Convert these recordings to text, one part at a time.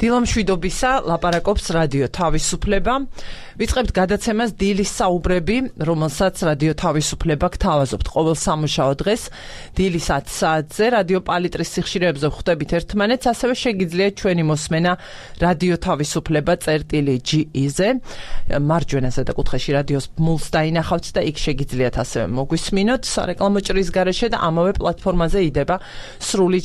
დილამშვიდობისა, ლაპარაკობს რადიო თავისუფლება. ვიწყებთ გადაცემას დილის საუბრები, რომელსაც რადიო თავისუფლება გთავაზობთ ყოველ სამუშაო დღეს დილის 10 საათზე რადიო პალიტრის სიხშირეებზე ვხვდებით ერთმანეთს, ასევე შეგიძლიათ ჩვენი მოსმენა რადიო თავისუფლება წერტილი.ge-ზე. მარჯვენა ზედაკუთხეში რადიოს ბმულს დაინახავთ და იქ შეგიძლიათ ასევე მოგვისმინოთ სარეკლამო ჭრის გარეშე და ამავე პლატფორმაზე იდება სრული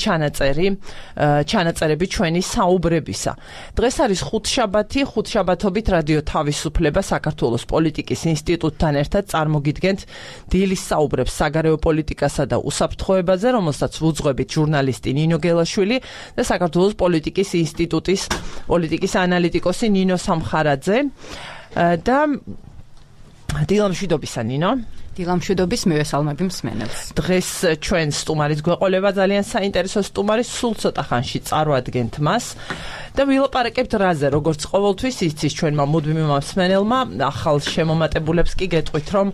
ჩანაწერები ჩვენი საუბრებისა. დღეს არის ხუთშაბათობით რადიო თავისუფლება საქართველოს პოლიტიკის ინსტიტუტთან ერთად წარმოგიდგენთ დილის საუბრებს საგარეო პოლიტიკასა და უსაფრთხოებაზე, რომელსაც ვუძღვებით ჟურნალისტი ნინო გელაშვილი და საქართველოს პოლიტიკის ინსტიტუტის პოლიტიკის ანალიტიკოსი ნინო სამხარაძე. და დილამშვიდობისა ნინო. დილამშვიდობის მივესალმები მსმენელს. დღეს ჩვენ სტუმარის გვეყოლება ძალიან საინტერესო სტუმარი, სულ ცოტა ხანში წარვადგენთ მას და ვილაპარაკებთ რაზე, როგორც ყოველთვის იცის ჩვენმა მუდმივმა მსმენელმა, ახალ შემომატებულებს კი გეტყვით, რომ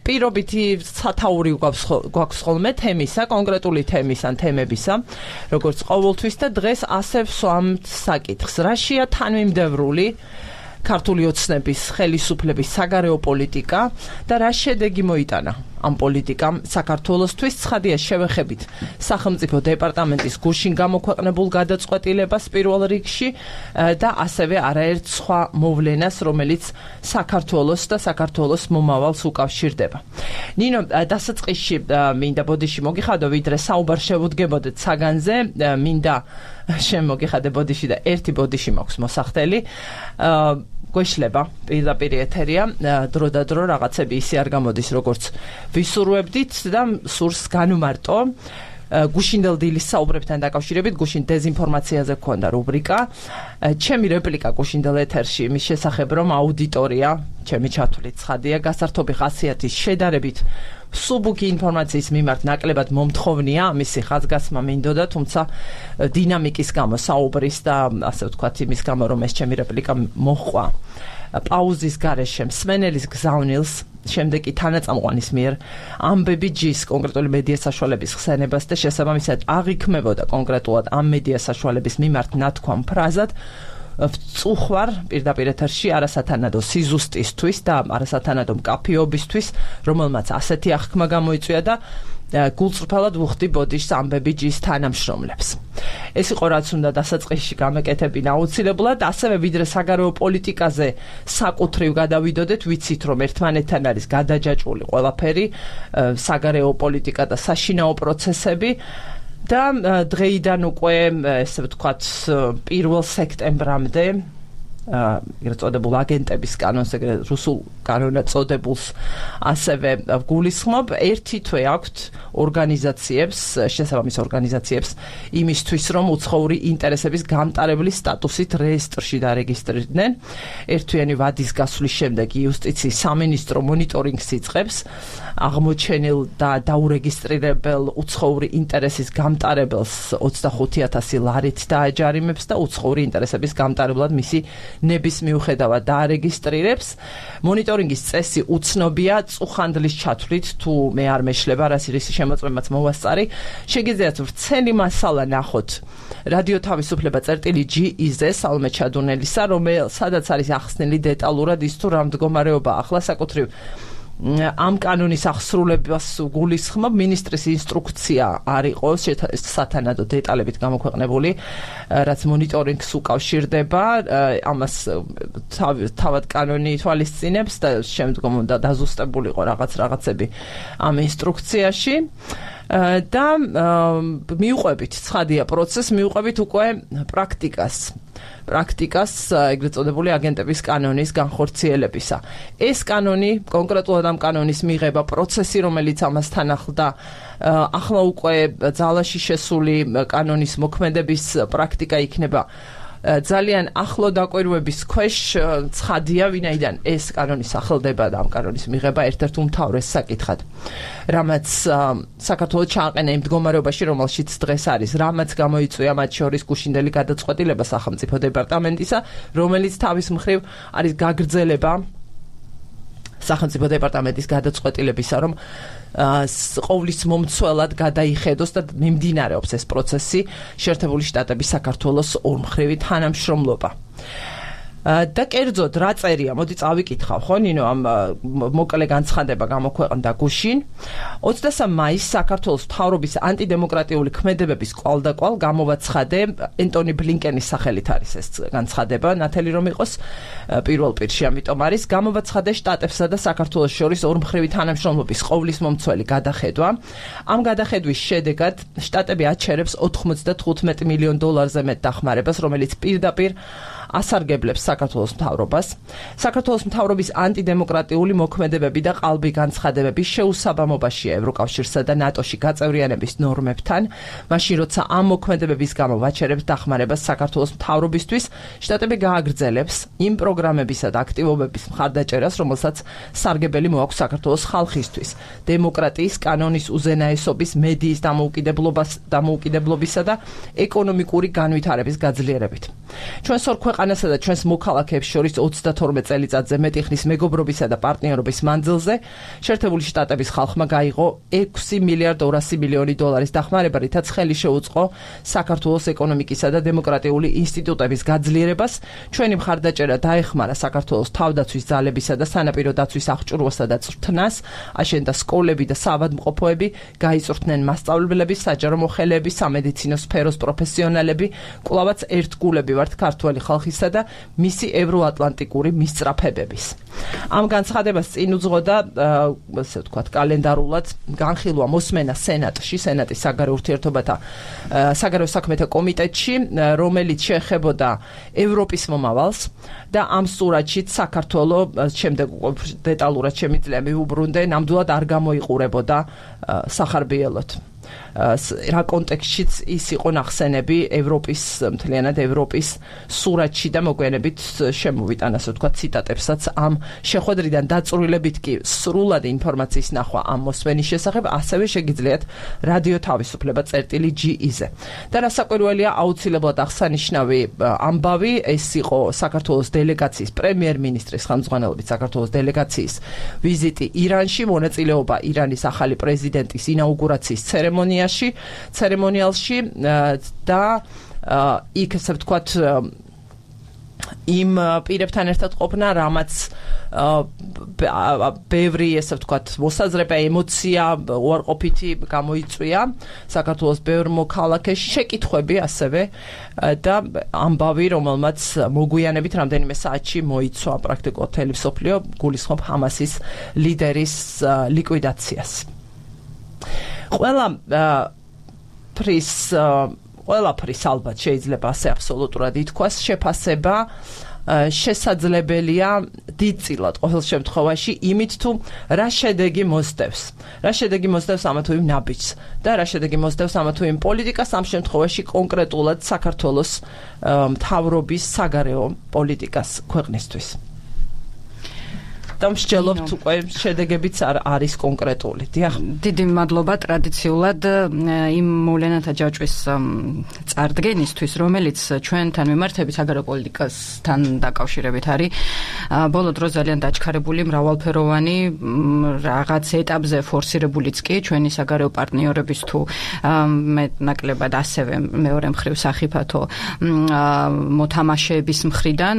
პირობითი სათაური გვაქვს ხოლმე თემისა, კონკრეტული თემის ან თემებისა, როგორც ყოველთვის და დღეს ასე ვსვამთ საკითხს, რაშია თანმიმდევრული ქართული ოცნების ხელისუფლების საგარეო პოლიტიკა და რა შედეგი მოიტანა ამ პოლიტიკამ საქართველოსთვის. ცხადია შევეხებით სახელმწიფო დეპარტამენტის გუშინ გამოქვეყნებულ გადაწყვეტილებას პირველ რიგში და ასევე არაერთ სხვა მოვლენას, რომელიც საქართველოს და საქართველოს მომავალს უკავშირდება. ნინო, დასაწყისში მინდა ბოდიში მოგიხადო, ვიდრე საუბარ შევუდგებოდეთ საგანზე, მინდა შემოგიხადე ბოდიში და ერთი ბოდიში მაქვს მოსახდელი. გვეშლება პირდაპირ ეთერია, დრო და დრო რაღაცები ისე არ გამოდის, როგორც ვისურვებდით და სურს განვმარტო. გუშინდელ დილის საუბრებთან დაკავშირებით, გუშინ დეზინფორმაციაზე გქონდა რუბრიკა. ჩემი რეპლიკა გუშინდელ ეთერში იმის შესახებ, რომ აუდიტორია, ჩემი ჩათვლით ცხადია, გასართობი ხასიათის შედარებით სუბუქი ინფორმაციის მიმართ ნაკლებად მომთხოვნია, ამისი ხაზგასმა მინდოდა, თუმცა დინამიკის გამო საუბრის და ასე ვთქვათ იმის გამო, რომ ეს ჩემი რეპლიკა მოჰყვა პაუზის გარეშე მსმენელის გზავნილს, შემდეგ კი თანაწამყვანის მიერ ამბები ჯის კონკრეტული მედია საშუალების ხსენებას და შესაბამისად აღიქმებოდა კონკრეტულად ამ მედია საშუალების მიმართ ნათქვამ ფრაზად ვწუხვარ პირდაპირ ეთერში არასათანადო სიზუსტისთვის და არასათანადო მკაფიობისთვის, რომელმაც ასეთი აღქმა გამოიწვია და გულწრფელად ვუხდი ბოდიშს ამბები ჯის თანამშრომლებს. ეს იყო რაც უნდა დასაწყისში გამეკეთებინა აუცილებლად, ასევე ვიდრე საგარეო პოლიტიკაზე საკუთრივ გადავიდოდეთ, ვიცით რომ ერთმანეთთან არის გადაჯაჭვული ყველაფერი, საგარეო პოლიტიკა და საშინაო პროცესები. და დღეიდან უკვე, ესე ვთქვათ, 1 სექტემბრამდე ეგრეთ წოდებულ აგენტების კანონს, ეგრეთ რუსულ კანონად წოდებულს ასევე გულისხმობ. ერთი თვე აქვთ ორგანიზაციებს, შესაბამის ორგანიზაციებს იმისთვის, რომ უცხოური ინტერესების გამტარებლის სტატუსით რეესტრში დარეგისტრირდნენ. ერთთვიანი ვადის გასვლის შემდეგ იუსტიციის სამინისტრო მონიტორინგს იწყებს აღმოჩენილ და დაურეგისტრირებელ უცხოური ინტერესის გამტარებელს 25,000 ლარით დააჯარიმებს და უცხოური ინტერესების გამტარებლად მისი ნების მიუხედავად დაარეგისტრირებს. მონიტორინგის წესი უცნობია, წუხანდლის ჩათვლით, თუ მე არ მეშლება, რისი შემოწმებაც მოვასწარი. შეგიძლიათ ვრცელი მასალა ნახოთ რადიო თავისუფლება წერტილი.ge-ზე სალმე ჩადუნელისა, სადაც არის ახსნილი დეტალურად ის თუ რა მდგომარეობა ახლა საკუთრივ ამ კანონის აღსრულებას გულისხმობ. მინისტრის ინსტრუქცია არ იყო სათანადო დეტალებით გამოქვეყნებული, რაც მონიტორინგს უკავშირდება, ამას თავად კანონი ითვალისწინებს და შემდგომ უნდა დაზუსტებულიყო რაღაცები ამ ინსტრუქციაში. და მიუყვებით ცხადია პროცესს, მიუყვებით უკვე პრაქტიკას, ეგრეთ წოდებული აგენტების კანონის განხორციელებისა. ეს კანონი, კონკრეტულად ამ კანონის მიღება, პროცესი, რომელიც ამასთან ახლდა, ახლა უკვე ძალაში შესული კანონის მოქმედების პრაქტიკა იქნება ძალიან ახლო დაკვირვების ქვეშ. ცხადია, ვინაიდან ეს კანონი სახელდება და ამ კანონის მიღება ერთ-ერთ უმთავრეს საკითხად, რამაც საქართველოს ჩააყენა იმ მდგომარეობაში, რომელშიც დღეს არის, რამაც გამოიწვია მათ შორის გუშინდელი გადაწყვეტილება სახელმწიფო დეპარტამენტისა, რომელიც თავის მხრივ არის გაგრძელება სახელმწიფო დეპარტამენტის გადაწყვეტილებისა, რომ ყოვლის მომცველად გადაიხედოს და მიმდინარეობს ეს პროცესი შეერთებული შტატების საქართველოს ორმხრივი თანამშრომლობა. და კერძოდ რა წერია, მოდი წავიკითხავ, ხო, ნინო, ამ მოკლე განცხადება გამოქვეყნდა გუშინ. 23 მაისს საქართველოს მთავრობის ანტიდემოკრატიული ქმედებების კვალდაკვალ გამოვაცხადე ენტონი ბლინკენის სახელით არის ეს განცხადება, ნათელი რომ იყოს პირველ პირში, ამიტომ არის გამოვაცხადე შტატებსა და საქართველოს შორის ორმხრივი თანამშრომლობის ყოვლის მომცველი გადახედვა. ამ გადახედვის შედეგად შტატები აჩერებს $95 მილიონ მეტ დახმარებას, რომელიც პირდაპირ ასარგებლებს საქართველოს მთავრობას. საქართველოს მთავრობის ანტიდემოკრატიული მოქმედებები და ყალბი განცხადებები შეუსაბამობაშია ევროკავშირსა და ნატოში გაწევრიანების ნორმებთან, მაშინ როცა ამ მოქმედებების გამო ვაჩერებს დახმარებას საქართველოს მთავრობისთვის, შტატები გააგრძელებს იმ პროგრამებისა და აქტივობების მხარდაჭერას, რომელსაც სარგებელი მოაქვს საქართველოს ხალხისთვის, დემოკრატიის, კანონის უზენაესობის, მედიის დამოუკიდებლობისა და ეკონომიკური განვითარების გაძლიერებით. ჩვენს ორ ქვეყანასა და ჩვენს მოქალაქეებს შორის 32 წელიწადზე მეტი ხნის მეგობრობისა და პარტნიორობის მანძილზე შეერთებული შტატების ხალხმა გაიღო $6.2 მილიარდი დახმარება, რითაც ხელი შეუწყო საქართველოს ეკონომიკისა და დემოკრატიული ინსტიტუტების გაძლიერებას. ჩვენი მხარდაჭერა დაეხმარა საქართველოს თავდაცვის ძალებისა და სანაპირო დაცვის აღჭურვასა და წვრთნას, აშენდა სკოლები და საავადმყოფოები, გაიწვრთნენ მასწავლებლები, საჯარო მოხელეები, სამედიცინო სფეროს პროფესიონალები, კვლავაც ერთგულები ვართ ქართველი ხალხისა და მისი ევროატლანტიკური მისწრაფებების. ამ განცხადებას წინ უძღოდა, ასე ვთქვათ, კალენდარულად განხილვა მოსმენა სენატში, სენატის საგარეო საქმეთა კომიტეტში, რომელიც შეეხებოდა ევროპის მომავალს და ამ სურათშიც საქართველოს შემდეგ დეტალურად შემიძლია მივუბრუნდე, ნამდვილად არ გამოიყურებოდა სახარბიელოდ. რა კონტექსტშიც ის იყო ნახსენები მთლიანად ევროპის სურათში და მოგვიანებით შემოვიტან, ასე ვთქვათ, ციტატებსაც ამ შეხვედრიდან დაწვრილებით კი სრულად ინფორმაციის ნახვა ამ მოსმენის შესახებ, ასევე შეგიძლიათ რადიო თავისუფლება წერტილი.ge-ზე. და რასაკვირველია, აუცილებლად აღსანიშნავი ამბავი, ეს იყო საქართველოს დელეგაციის პრემიერ-მინისტრის ხელმძღვანელობით საქართველოს დელეგაციის ვიზიტი ირანში, მონაწილეობა ირანის ახალი პრეზიდენტის ინაუგურაციის ცერემონიალში და იქ, ასე ვთქვათ, იმ პირებთან ერთად ყოფნა, რამაც ბევრი, ასე ვთქვათ, მოსაზრება, ემოცია, უარყოფითი გამოიწვია საქართველოს ბევრ მოქალაქეში, შეკითხვები ასევე და ამბავი, რომელმაც მოგვიანებით რამდენიმე საათში მოიცვა პრაქტიკულად მთელი მსოფლიო, გულისხმობ ჰამასის ლიდერის ლიკვიდაციას. ყველაფრის ალბათ შეიძლება ასე აბსოლუტურად ითქვას, შეფასება შესაძლებელია დიდწილად ყოველ შემთხვევაში იმით, თუ რა შედეგი მოსდევს. რა შედეგი მოსდევს ამა თუ იმ ნაბიჯს და რა შედეგი მოსდევს ამა თუ იმ პოლიტიკას, ამ შემთხვევაში კონკრეტულად საქართველოს მთავრობის საგარეო პოლიტიკას ქვეყნისთვის. და მსჯელობთ უკვე შედეგებიც არის კონკრეტული. დიახ. დიდი მადლობა ტრადიციულად იმ მოვლენათა ჯაჭვის წარდგენისთვის, რომელიც ჩვენთან მიმართებით საგარეო პოლიტიკასთან დაკავშირებით არის ბოლო დროს ძალიან დაჩქარებული, მრავალფეროვანი, რაღაც ეტაპზე ფორსირებულიც კი ჩვენი საგარეო პარტნიორების თუ მეტნაკლებად ასევე მეორე მხრივ სახიფათო მოთამაშეების მხრიდან,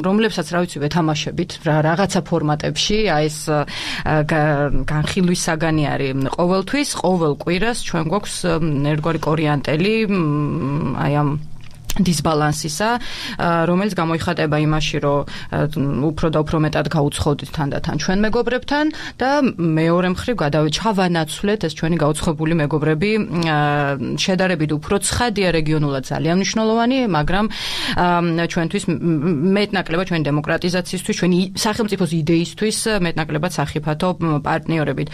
რომლებსაც რა ვიცი ვეთამაშებით რაღაცა ფორმატ ეს განხილვის საგანი არის ყოველთვის, ყოველ კვირას ჩვენ გვაქვს ერთგვარი კორიანტელი აი ამ დისბალანსისა, რომელიც გამოიხატება იმაში, რომ უფრო და უფრო მეტად გაუცხოდით თანდათან ჩვენ მეგობრებთან და მეორე მხრივ ჩავანაცვლეთ ეს ჩვენი გაუცხებული მეგობრები შედარებით უფრო ცხადია რეგიონულად ძალიან მნიშვნელოვანი, მაგრამ ჩვენთვის მეტნაკლებად ჩვენი დემოკრატიზაციისთვის, ჩვენი სახელმწიფოს იდეისთვის მეტნაკლებად სახიფათო პარტნიორებით.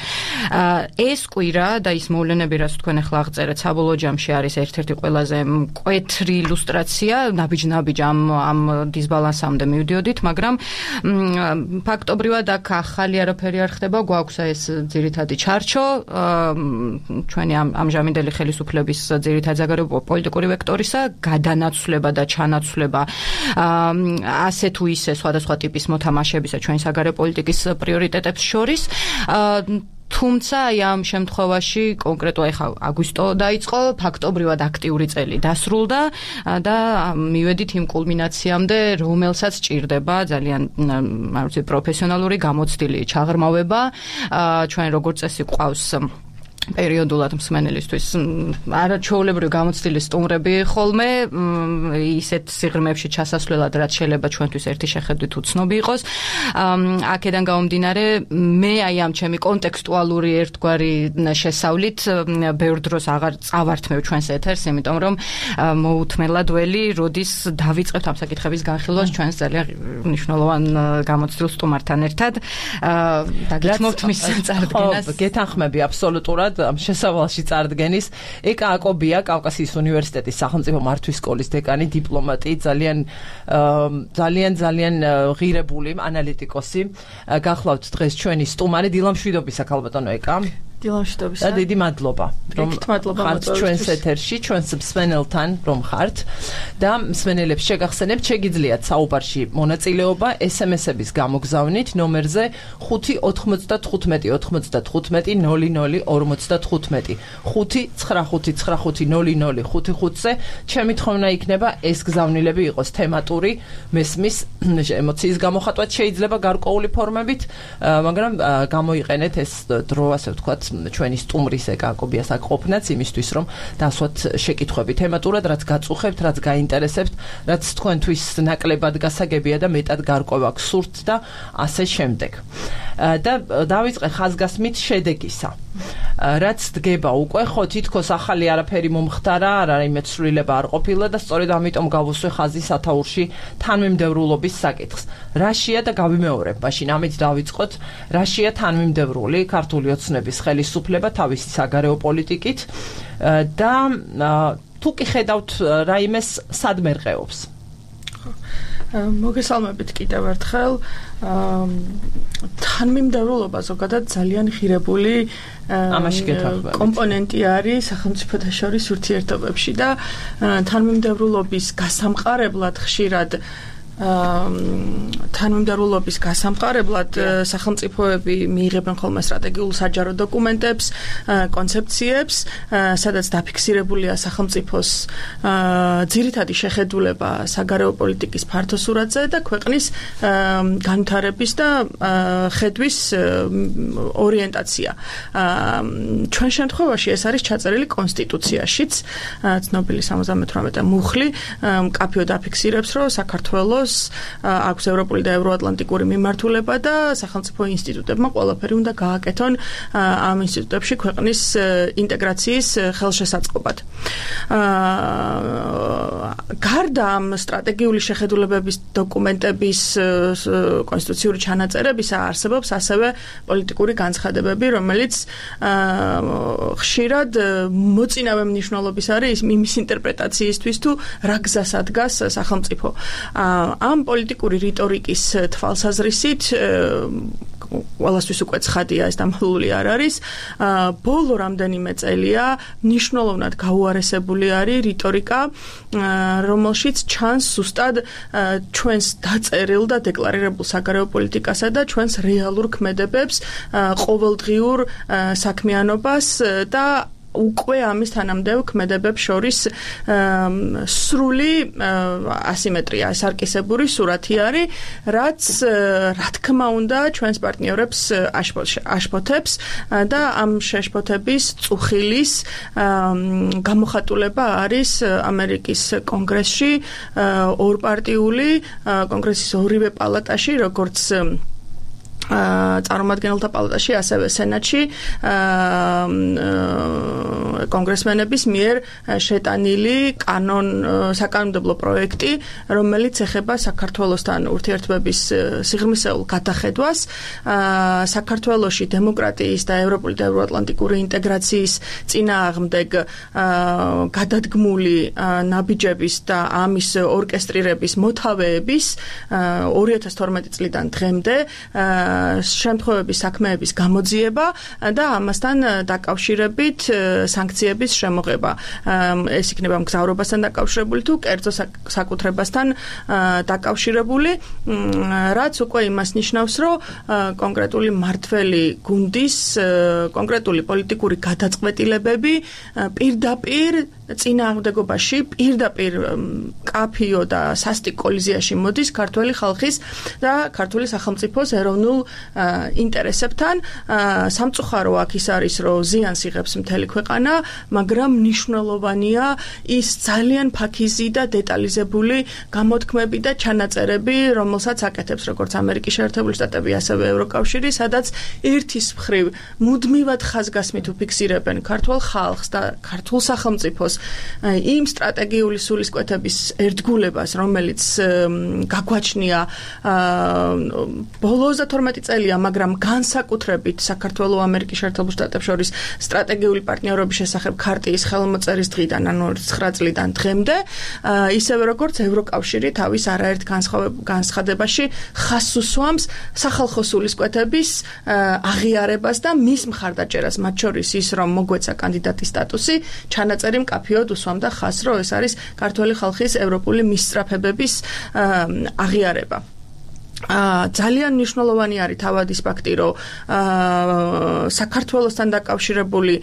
ეს კვირა და ის მოვლენები, რაც თქვენ ახლა აღწერეთ, საბოლოო ჯამში არის ერთ-ერთი ყველაზე მკვეთრი ილუსტრაცია დემონსტრაცია, ნაბიჯ ამ დისბალანსამდე მივდიოდით, მაგრამ ფაქტობრივად აქ ახალი არაფერი არ ხდება, გვაქვს ეს ძირითადი ჩარჩო, ჩვენი ამჟამინდელი ხელისუფლების ძირითადი საგარეო პოლიტიკური ვექტორისა, გადანაცვლება და ჩანაცვლება ასე თუ ისე სხვადასხვა ტიპის მოთამაშებისა ჩვენი საგარეო პოლიტიკის პრიორიტეტებს შორის. თუმცა ამ შემთხვევაში კონკრეტულად ახლა აგვისტო დაიწყო, ფაქტობრივად აქტიური წელი დასრულდა და მივედით იმ კულმინაციამდე, რომელსაც ჭირდება ძალიან პროფესიონალური გამოცდილი ჩაღრმავება. ჩვენ როგორც წესი გვყავს პერიოდულად მსმენელისთვის არაჩვეულებრივი გამოცდილი სტუმრები ხოლმე ისეთ სიღრმეებში ჩასასვლელად, რაც შეიძლება ჩვენთვის ერთი შეხედვით უცნობი იყოს. აქედან გამომდინარე, მე აი ამ ჩემი კონტექსტუალური ერთგვარი შესავლით ბევრ დროს აღარ წავართმევ ჩვენს ეთერს, იმიტომ რომ მოუთმელად ველი, როდის დავიწყებთ ამ საკითხების განხილვას ჩვენს ძალიან მნიშვნელოვან გამოცდილ სტუმართან ერთად. დაგითმობთ მის წარდგენას. გეთანხმები აბსოლუტურად ამ შესავალში წარდგენის. ეკა აკობია, კავკასიის უნივერსიტეტის სახელმწიფო მართვის სკოლის დეკანი, დიპლომატი, ძალიან ღირებული ანალიტიკოსი. გახლავთ დღეს ჩვენი სტუმარი. დილამშვიდობისა, ქალბატონო ეკა. დილამშვიდობისა. და დიდი მადლობა, რომ ხართ ჩვენს ეთერში, ჩვენს მსმენელთან, რომ ხართ და მსმენელებს შეგახსენებთ, შეგიძლიათ საუბარში მონაწილეობა SMS-ების გამოგზავნით ნომერზე 5-95-95-00-55-00-55-00-55-00-55-ზე. 5-95-95-00-55-ზე. ჩემი თხოვნა იქნება ეს გზავნილები იყოს თემატური, მესმის ემოციის გამოხატვა შეიძლება გარკვეული ფორმებით, მაგრამ გამოიყენეთ ეს დრო, ასე ვთქვათ, ჩვენი სტუმრის ეკა აკობიას აქ ყოფნაც იმისთვის, რომ დასვათ შეკითხვები თემატურად, რაც გაწუხებთ, რაც გაინტერესებთ, რაც თქვენთვის ნაკლებად გასაგებია და მეტად გარკვევა გსურთ და ასე შემდეგ. და დავიწყე ხაზგასმით შედეგისა. რაც დგება უკვე, ხო თითქოს ახალი არაფერი მომხდარა, რაიმე ცვლილება არ ყოფილა და სწორედ ამიტომ გავუსვე ხაზი სათაურში თანმიმდევრულობის საკითხს. რაშია და გავიმეორებ, მაშინ ამით დავიწყოთ, რაშია თანმიმდევრული ქართული ოცნების ხელისუფლება თავისი საგარეო პოლიტიკით და თუ კი ხედავთ რაიმეს სად მერყეობს. მოგესალმებით კიდევ ერთხელ. თანმიმდევრულობა ზოგადად ძალიან ღირებული კომპონენტი არის სახელმწიფოთა შორის ურთიერთობებში და თანმიმდევრულობის გასამყარებლად ხშირად თანმიმდევრულობის გასამყარებლად სახელმწიფოები მიიღებენ ხოლმე სტრატეგიულ საჯარო დოკუმენტებს, კონცეფციებს, სადაც დაფიქსირებულია სახელმწიფოს ძირითადი შეხედულება საგარეო პოლიტიკის ფართოსურათზე და ქვეყნის განვითარების და ხედვის ორიენტაცია. ჩვენ შემთხვევაში ეს არის ჩაწერილი კონსტიტუციაშიც, ცნობილი 78 მუხლი მკაფიოდ დაფიქსირებს, რომ საქართველოს აქვს ევროპული და ევროატლანტიკური მიმართულება და სახელმწიფო ინსტიტუტებმა ყველაფერი უნდა გააკეთონ ამ ინსტიტუტებში ქვეყნის ინტეგრაციის ხელშესაწყობად. გარდა ამ სტრატეგიული შეხედულებების დოკუმენტების კონსტიტუციური ჩანაწერებისა არსებობს ასევე პოლიტიკური განცხადებები, რომელიც ხშირად მოწინავე მნიშვნელობის არის იმის ინტერპრეტაციისთვის თუ რა გზას ადგას სახელმწიფო. ამ პოლიტიკური რიტორიკის თვალსაზრისით ყველასთვის უკვე ცხადია, ეს დამხლული არ არის. ბოლო რამდენიმე წელია მნიშვნელოვნად გაუარესებული არის რიტორიკა, რომელშიც ჩანს ზუსტად ჩვენს დაწერილ და დეკლარირებულ საგარეო პოლიტიკასა და ჩვენს რეალურ ქმედებებს, ყოველდღიურ საქმიანობას და უკვე ამის თანამდებობ ქმედებებს შორის სრული ასიმეტრია, სარკისებური სურათი არის, რაც რა თქმა უნდა ჩვენს პარტნიორებს აშფოთებს და ამ შეშფოთების წუხილის გამოხატულება არის ამერიკის კონგრესში ორპარტიული კონგრესის ორივე პალატაში, როგორც წარმომადგენელთა პალატაში, ასევე სენატში კონგრესმენების მიერ შეტანილი საკანონმდებლო პროექტი, რომელიც ეხება საქართველოსთან ურთიერთობების სიღრმისეულ გადახედვას, საქართველოში დემოკრატიის და ევროპული და ევროატლანტიკური ინტეგრაციის წინააღმდეგ გადადგმული ნაბიჯების და ამის ორკესტრირების მოთავეების 2012 წლიდან დღემდე შემთხვევების საქმეების გამოძიება და ამასთან დაკავშირებით სანქციების შემოღება. ეს იქნება მგზავრობასთან დაკავშირებული თუ კერძო საკუთრებასთან დაკავშირებული, რაც უკვე იმას ნიშნავს, რომ კონკრეტული მმართველი გუნდის კონკრეტული პოლიტიკური გადაწყვეტილებები პირდაპირ წინააღმდეგობაში პირდაპირ კაფიო და სასტიკ კოლიზიაში მოდის ქართული ხალხის და ქართული სახელმწიფოს ეროვნულ ინტერესებთან. სამწუხარო აქ ის არის, რომ ზიანს იღებს მთელი ქვეყანა, მაგრამ მნიშვნელოვანია ის ძალიან ფაქიზი და დეტალიზებული გამოთქმები და ჩანაწერები, რომელსაც აკეთებს როგორც ამერიკის შეერთებული შტატები, ასევე ევროკავშირი, სადაც ერთის მხრივ მუდმივად ხაზგასმით უფიქსირებენ ქართულ ხალხს და ქართულ სახელმწიფოს იმ სტრატეგიული სულისკვეთების ერთგულებას, რომელიც გაგვაჩნია ბოლო 32 წელია, მაგრამ განსაკუთრებით საქართველოს ამერიკის შეერთებულ შტატებს შორის სტრატეგიული პარტნიორობის შესახებ ქარტიის ხელმოწერის დღიდან, ანუ 9 წლიდან დღემდე, ისევე როგორც ევროკავშირი თავის არაერთ განცხადებაში ხაზს უსვამს სახალხო სულისკვეთების აღიარებას და მის მხარდაჭერას, მათ შორის ის, რომ მოგვეცა კანდიდატის სტატუსი, ჩანაწერი მკაფიოდ უსვამდა ხაზს, რომ ეს არის ქართული ხალხის ევროპული მისწრაფებების აღიარება. ძალიან მნიშვნელოვანი არის თავად ის ფაქტი, რომ საქართველოსთან დაკავშირებული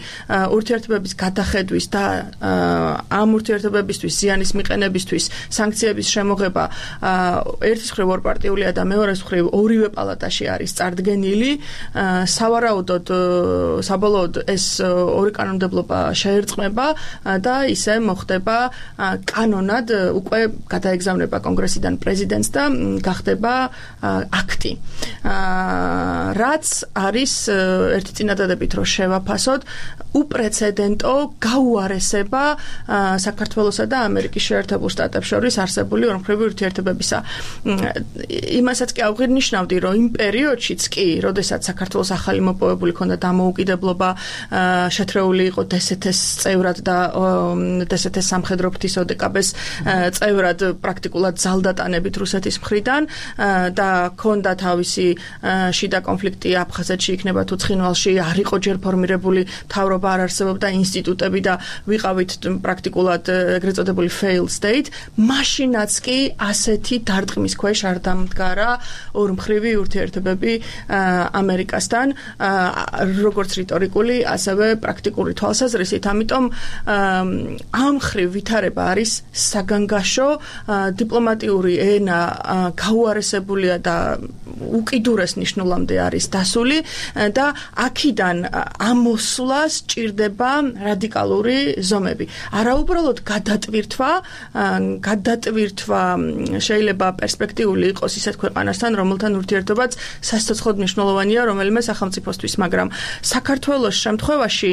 ურთიერთობების გადახედვის და ამ ურთიერთობებისთვის ზიანის მიყენებისთვის სანქციების შემოღება ერთის მხრივ ორპარტიულია და მეორეს მხრივ ორივე პალატაში არის წარდგენილი. სავარაუდოდ საბოლოოდ ეს ორი კანონმდებლობა შეერწყმება და ისე მოხდება კანონად, უკვე გადაეგზავნება კონგრესიდან პრეზიდენტს და გახდება აქტი. რაც არის ერთი წინადადებით, რომ შევაფასოთ უპრეცედენტო გაუარესება საქართველოსა და ამერიკის შეერთებულ შტატებს შორის არსებული ორმხრივი ურთიერთობებისა. იმასაც კი აღგვინიშნავდი, რომ იმ პერიოდშიც კი, როდესაც საქართველოს ახალი მოპოვებული ქონდა დამოუკიდებლობა, შეთრეული იყო დსთ-ს წევრად და დსთ-ს სამხედრო ფრთის ოდკბ-ს წევრად პრაქტიკულად ძალდატანებით რუსეთის მხრიდან და ქონდა თავისი შიდა კონფლიქტი აფხაზეთში იქნება თუ ცხინვალში, არ იყო ჯერ ფორმირებული მთავრობა, არ არსებობდა ინსტიტუტები და ვიყავით პრაქტიკულად ეგრეთ წოდებული failed state. მაშინაც კი ასეთი დარტყმის ქვეშ არ დამდგარა ორმხრივი ურთიერთობები ამერიკასთან, როგორც რიტორიკული, ასევე პრაქტიკული თვალსაზრისით. ამიტომ ამ მხრივ ვითარება არის საგანგაშო, დიპლომატიური ენა გაუარესებულია და უკიდურეს ნიშნულამდე არის დასული და აქედან ამოსვლას ჭირდება რადიკალური ზომები. არა უბრალოდ გადატვირთვა შეიძლება პერსპექტიული იყოს ისეთ ქვეყანასთან, რომელთან ურთიერთობაც სასიცოცხლოდ მნიშვნელოვანია რომელიმე სახელმწიფოსთვის, მაგრამ საქართველოს შემთხვევაში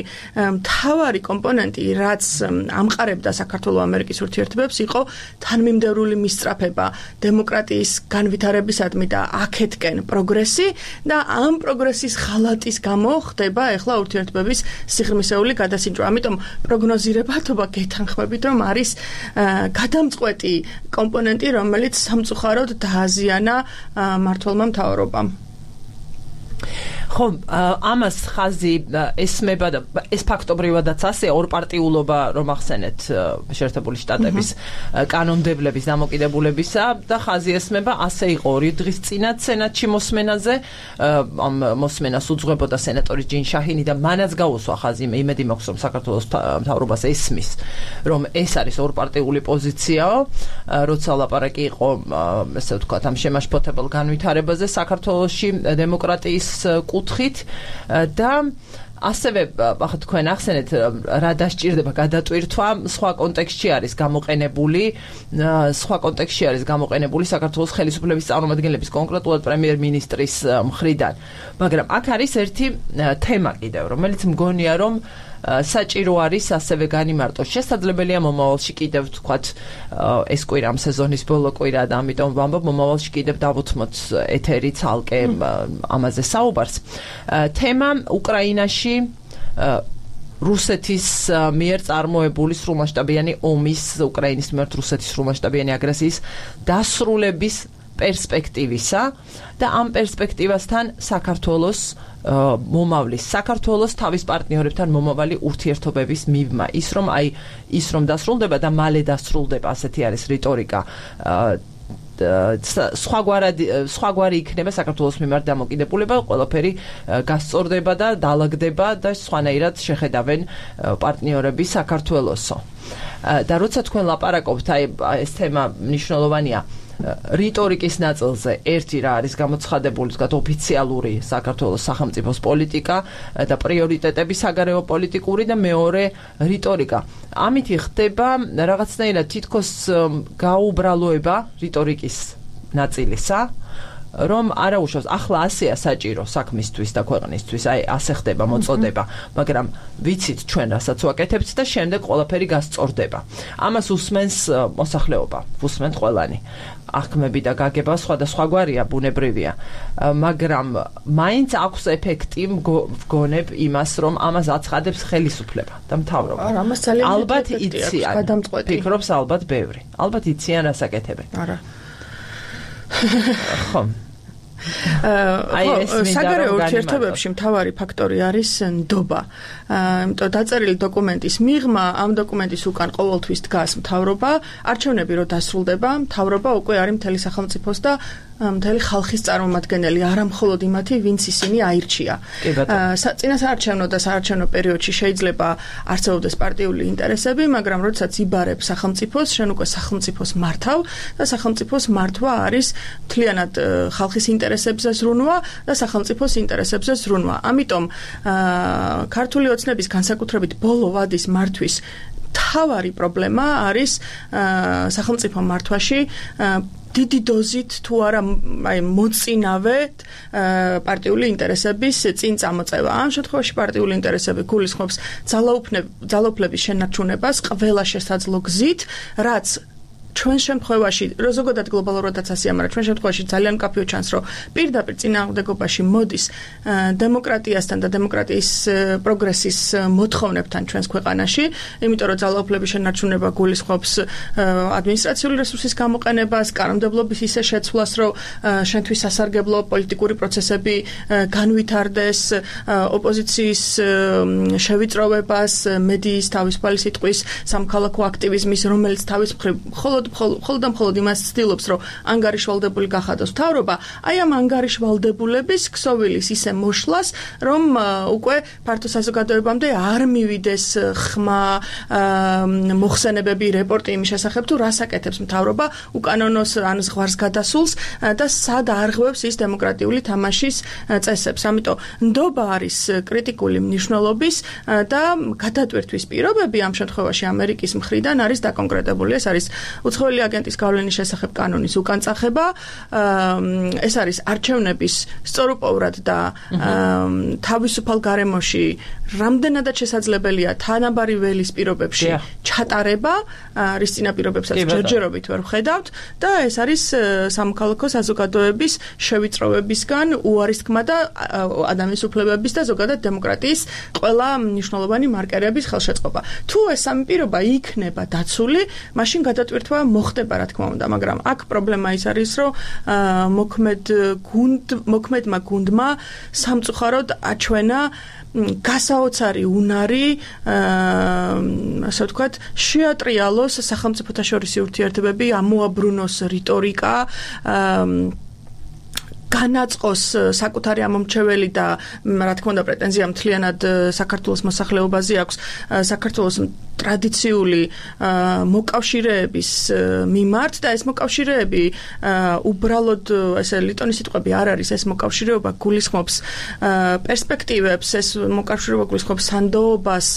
მთავარი კომპონენტი, რაც ამყარებდა საქართველოს-ამერიკის ურთიერთობებს, იყო თანმიმდევრული მისწრაფება დემოკრატიის განვითარებისადმი და აქეთკენ პროგრესი და ამ პროგრესის ხალატის გამო ხდება ახლა ურთიერთობების სიღრმისეული გადასინჯვა. ამიტომ პროგნოზირებადობა გეთანხმებით, რომ არის გადამწყვეტი კომპონენტი, რომელიც სამწუხაროდ დააზიანა მმართველმა მთავრობამ. ხო, ამას ხაზი ესმება და ეს ფაქტობრივადაც ასე ორპარტიულობა რომ ახსენეთ შეერთებული შტატების კანონმდებლების დამოკიდებულებისა და ხაზი ესმება ასე იყო 2 დღის წინათ სენატში მოსმენაზე, ამ მოსმენას უძღვებოდა სენატორი ჯინ შაჰინი და მანაც გაუსვა ხაზი, იმედი მაქვს რომ საქართველოს მთავრობას ესმის, რომ ეს არის ორპარტიული პოზიციაო, როცა ლაპარაკი იყო, ესე ვთქვათ, ამ შემაშფოთებელ განვითარებაზე საქართველოში დემოკრატიის კუთხით და ასევე ახლა თქვენ ახსენეთ რა დასჭირდება გადატვირთვა სხვა კონტექსტში არის გამოყენებული საქართველოს ხელისუფლების წარმომადგენლების კონკრეტულად პრემიერ-მინისტრის მხრიდან მაგრამ აქ არის ერთი თემა კიდევ რომელიც მგონია რომ საჭირო არის ასევე განიმარტოს შესაძლებელია მომავალში კიდევ თქვათ ეს კვირა ამ სეზონის ბოლო კვირა და ამიტომ ვამბობ მომავალში კიდევ დავუთმოთ ეთერი ცალკე ამაზე საუბარს თემა უკრაინაში რუსეთის მიერ წარმოებული სრულმასშტაბიანი ომის უკრაინის მიმართ რუსეთის სრულმასშტაბიანი აგრესიის დასრულების პერსპექტივისა და ამ პერსპექტივასთან საქართველოს თავის პარტნიორებთან მომავალი ურთიერთობების მიღმა ის რომ დასრულდება და მალე დასრულდება ასეთი არის რიტორიკა სხვაგვარი იქნება საქართველოს მიმართ დამოკიდებულება ყველაფერი გასწორდება და დაალაგდება და სხვანაირად შეხედავენ პარტნიორები საქართველოსო და როცა თქვენ ლაპარაკობთ ეს თემა მნიშვნელოვანია რიტორიკის ნაწილზე ერთი რა არის გამოცხადებული თქვათ ოფიციალური საქართველოს სახელმწიფოს პოლიტიკა და პრიორიტეტები საგარეო პოლიტიკური და მეორე რიტორიკა ამით ხდება რაღაცნაირად თითქოს გაუბრალოება რიტორიკის ნაწილისა რომ არა უშავს ახლა ასეა საჭირო საქმისთვის და ქვეყნისთვის აი ასე ხდება მოწოდება მაგრამ ვიცით ჩვენ რასაც ვაკეთებთ და შემდეგ ყველაფერი გასწორდება ამას უსმენს მოსახლეობა უსმენთ ყველანი აღქმები და გაგება სხვადასხვაგვარია ბუნებრივია მაგრამ მაინც აქვს ეფექტი მგონებ იმას რომ ამას აცხადებს ხელისუფლება და მთავრობა ამას ძალიან ალბათ იციან ფიქრობს ალბათ ბევრი ალბათ იციან რას აკეთებენ არა ხო საგარეო ურთიერთობებში მთავარი ფაქტორი არის ნდობა. იმიტომ დაწერილი დოკუმენტის მიღმა ამ დოკუმენტის უკან ყოველთვის დგას მთავრობა, არჩევნები რო დასრულდება, მთავრობა უკვე არის მთელი სახელმწიფოს და მთელი ხალხის წარმომადგენელი, არა მხოლოდ იმათი, ვინც ისინი აირჩია. წინასაარჩევნო და საარჩევნო პერიოდში შეიძლება არსებობდეს პარტიული ინტერესები, მაგრამ როდესაც იბარებ სახელმწიფოს, შენ უკვე სახელმწიფოს მართავ და სახელმწიფოს მართვა არის მთლიანად ხალხის ინტერესებზე ზრუნვა და სახელმწიფოს ინტერესებზე ზრუნვა. ამიტომ ქართული ოცნების განსაკუთრებით ბოლო ვადის მართვის მთავარი პრობლემა არის სახელმწიფო მართვაში დიდი დოზით თუ არა აი მოწინავე პარტიული ინტერესების წინ წამოწევა. ამ შემთხვევაში პარტიული ინტერესები გულისხმობს ძალაუფლების შენარჩუნებას ყველა შესაძლო გზით, რაც ჩვენ შემთხვევაში, ზოგადად გლობალურადაც ასეა, მაგრამ ჩვენ შემთხვევაში ძალიან მკაფიო ჩანს, რომ პირდაპირ წინააღმდეგობაში მოდის დემოკრატიასთან და დემოკრატიის პროგრესის მოთხოვნებთან ჩვენს ქვეყანაში, იმიტომ რომ ძალაუფლების შენარჩუნება გულისხმობს ადმინისტრაციული რესურსის გამოყენებას, კანონმდებლობის ისე შეცვლას, რომ შენთვის სასარგებლო პოლიტიკური პროცესები განვითარდეს, ოპოზიციის შევიწროვებას, მედიის თავისუფალი სიტყვის, სამოქალაქო აქტივიზმის, რომელიც თავის მხრივ მხოლოდ იმას ცდილობს, რომ ანგარიშვალდებული გახადოს მთავრობა, აი ამ ანგარიშვალდებულების ქსოვილის ისე მოშლას, რომ უკვე ფართო საზოგადოებამდე არ მივიდეს ხმა, მოხსენებები, რეპორტი იმის შესახებ, თუ რას აკეთებს მთავრობა უკანონოს ან ზღვარს გადასულს და სად არღვევს ის დემოკრატიული თამაშის წესებს. ამიტომ ნდობა არის კრიტიკული მნიშვნელობის და გადატვირთვის პირობები ამ შემთხვევაში ამერიკის მხრიდან არის დაკონკრეტებული. ეს არის უცხოელი აგენტის გავლენის შესახებ კანონის უკანწახება, ეს არის არჩევნების სწორუპოვრად და თავისუფალ გარემოში რამდენადაც შესაძლებელია თანაბარი ველის პირობებში ჩატარება, რის წინა პირობებსაც ჯერჯერობით ვერ ვხედავთ და ეს არის სამოქალაქო საზოგადოების შევიწროვებისგან უარის თქმა და ადამიანის უფლებების და ზოგადად დემოკრატიის ყველა მნიშვნელოვანი მარკერების ხელშეწყობა. თუ ეს სამი პირობა იქნება დაცული, მაშინ გადატვირთვა მოხდება, რა თქმა უნდა, მაგრამ აქ პრობლემა ის არის, რომ მოქმედმა გუნდმა სამწუხაროდ აჩვენა გასაოცარი უნარი, ასე ვთქვათ, შეატრიალოს სახელმწიფოთა შორისი ურთიერთობები, ამოაბრუნოს რიტორიკა განაწყოს საკუთარი ამომრჩეველი და რა თქმა უნდა პრეტენზია მთლიანად საქართველოს მოსახლეობაზე აქვს საქართველოს ტრადიციული მოკავშირეების მიმართ და ეს მოკავშირეები უბრალოდ ესე ლიტონის სიტყვები არ არის ეს მოკავშირეობა გულისხმობს პერსპექტივებს ეს მოკავშირეობა გულისხმობს სანდოობას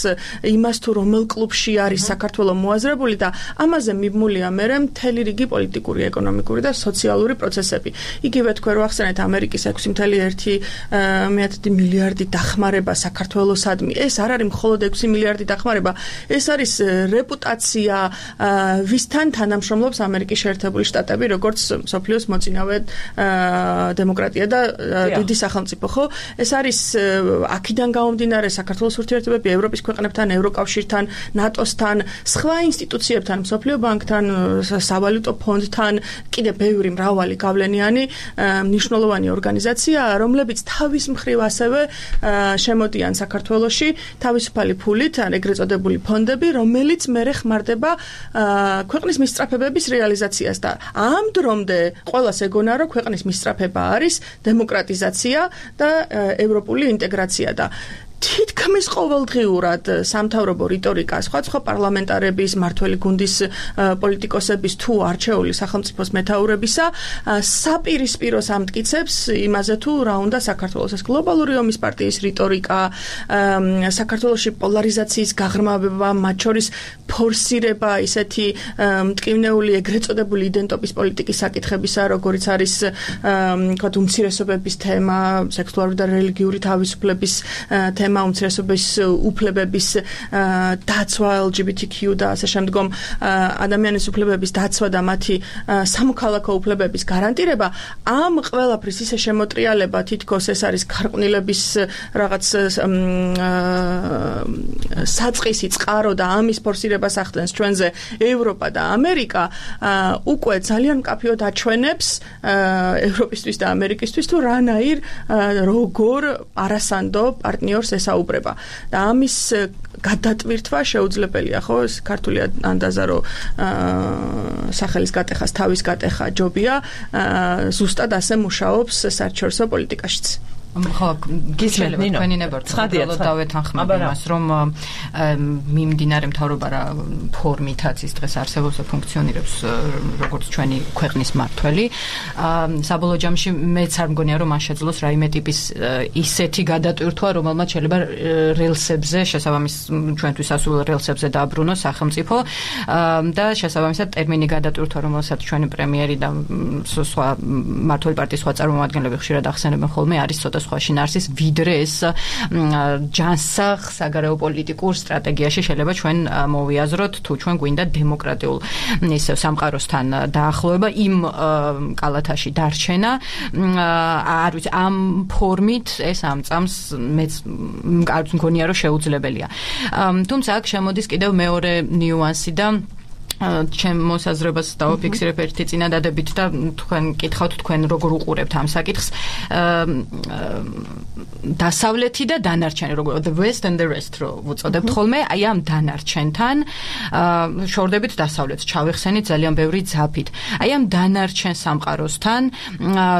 იმას თუ რომელ კლუბში არის საქართველო მოაზრებული და ამაზე მიბმულია მერე მთელი რიგი პოლიტიკური, ეკონომიკური და სოციალური პროცესები. იგივე თქვენ რო ახსენეთ ამერიკის 6.1 მილიარდი დახმარება საქართველოსადმი. ეს არ არის მხოლოდ 6 მილიარდი დახმარება, ეს არის რეპუტაცია, ვისთან თანამშრომლობს ამერიკის შეერთებული შტატები, როგორც მსოფლიოს მოწინავე დემოკრატია და დიდი სახელმწიფო, ხო? ეს არის აქედან გამომდინარე საქართველოს ურთიერთობები ევროპის ქვეყნებთან, ევროკავშირთან, ნატოსთან, სხვა ინსტიტუციებთან, მსოფლიო ბანკთან, სავალუტო ფონდთან, კიდევ ბევრი მრავალი გავლენიანი მნიშვნელოვანი ორგანიზაცია, რომლებიც თავის მხრივ ასევე შემოდიან საქართველოში თავისუფალი ფულით, ან ეგრეთ წოდებული ფონდები, რომელიც მერე ხმარდება ქვეყნის მისწრაფებების რეალიზაციას და ამ დრომდე ყველას ეგონა, რომ ქვეყნის მისწრაფება არის დემოკრატიზაცია და ევროპული ინტეგრაცია და თითქმის ყოველდღიურად სამთავრობო რიტორიკა სხვა პარლამენტარების, მართველი გუნდის პოლიტიკოსების თუ არჩეული სახელმწიფოს მეთაურებისა საპირისპიროს ამტკიცებს იმაზე თუ რა უნდა საქართველოს ეს გლობალური ომის პარტიის რიტორიკა, საქართველოში პოლარიზაციის გაღრმავება, მათ შორის ფორსირება ისეთი მტკივნეული ეგრეთ წოდებული იდენტობის პოლიტიკის საკითხებისა, როგორც არის თქვათ უმცირესობების თემა, სექსუალური და რელიგიური თავისუფლების თემა, უმცირესობის უფლებების დაცვა, LGBTQ და ასე შემდგომ ადამიანის უფლებების დაცვა და მათი სამოქალაქო უფლებების გარანტირება, ამ ყველაფრის ისე შემოტრიალება თითქოს ეს არის ქარყვნილების რაღაც საწყისი წყარო და ამის ფორსირებას ახდენს ჩვენზე ევროპა და ამერიკა, უკვე ძალიან მკაფიოდ აჩვენებს ევროპისთვის და ამერიკისთვის თუ რანაირ როგორ არასანდო პარტნიორს ესაუბრება და ამის გადატვირთვა შეუძლებელია, ხო? ეს ქართული ანდაზა რომ სახელის გატეხას თავის გატეხა ჯობია, ზუსტად ასე მუშაობს საერთაშორისო პოლიტიკაშიც. ხო, გისმენთ ნინო. თქვენი ნებართვა დავეთანხმები იმას, რომ მიმდინარე მთავრობა რა ფორმითაც ის დღეს არსებობს და ფუნქციონირებს როგორც ჩვენი ქვეყნის მმართველი. საბოლოო ჯამში მეც არ მგონია რომ მან შეძლოს რაიმე ტიპის ისეთი გადატვირთვა, რომელმაც შეიძლება რელსებზე, შესაბამის ჩვენთვის ასულ რელსებზე დააბრუნოს სახელმწიფო და შესაბამისად ტერმინი გადატვირთვა, რომელსაც ჩვენი პრემიერი და სხვა მმართველი პარტიის სხვა წარმომადგენლები ხშირად ახსენებენ ხოლმე, არის ცოტა სხვა შინაარსის ვიდრე ეს ჯანსაღ საგარეო პოლიტიკურ სტრატეგიაში შეიძლება ჩვენ მოვიაზროთ თუ ჩვენ გვინდა დემოკრატიულ ისევ სამყაროსთან დაახლოება იმ კალათაში დარჩენა არ ვიცი ამ ფორმით ეს ამ წამს მეც არ მგონია რომ შეუძლებელია თუმცა აქ შემოდის კიდევ მეორე ნიუანსი და ჩემ მოსაზრებას დავაფიქსირებ ერთი წინადადებით და თქვენ კითხავთ თქვენ როგორ უყურებთ ამ საკითხს დასავლეთი და დანარჩენი როგორ the west and the rest რო უწოდებთ ხოლმე აი ამ დანარჩენთან შორდებით დასავლეთს ჩავეხსენით ძალიან ბევრი ძაფით აი ამ დანარჩენ სამყაროსთან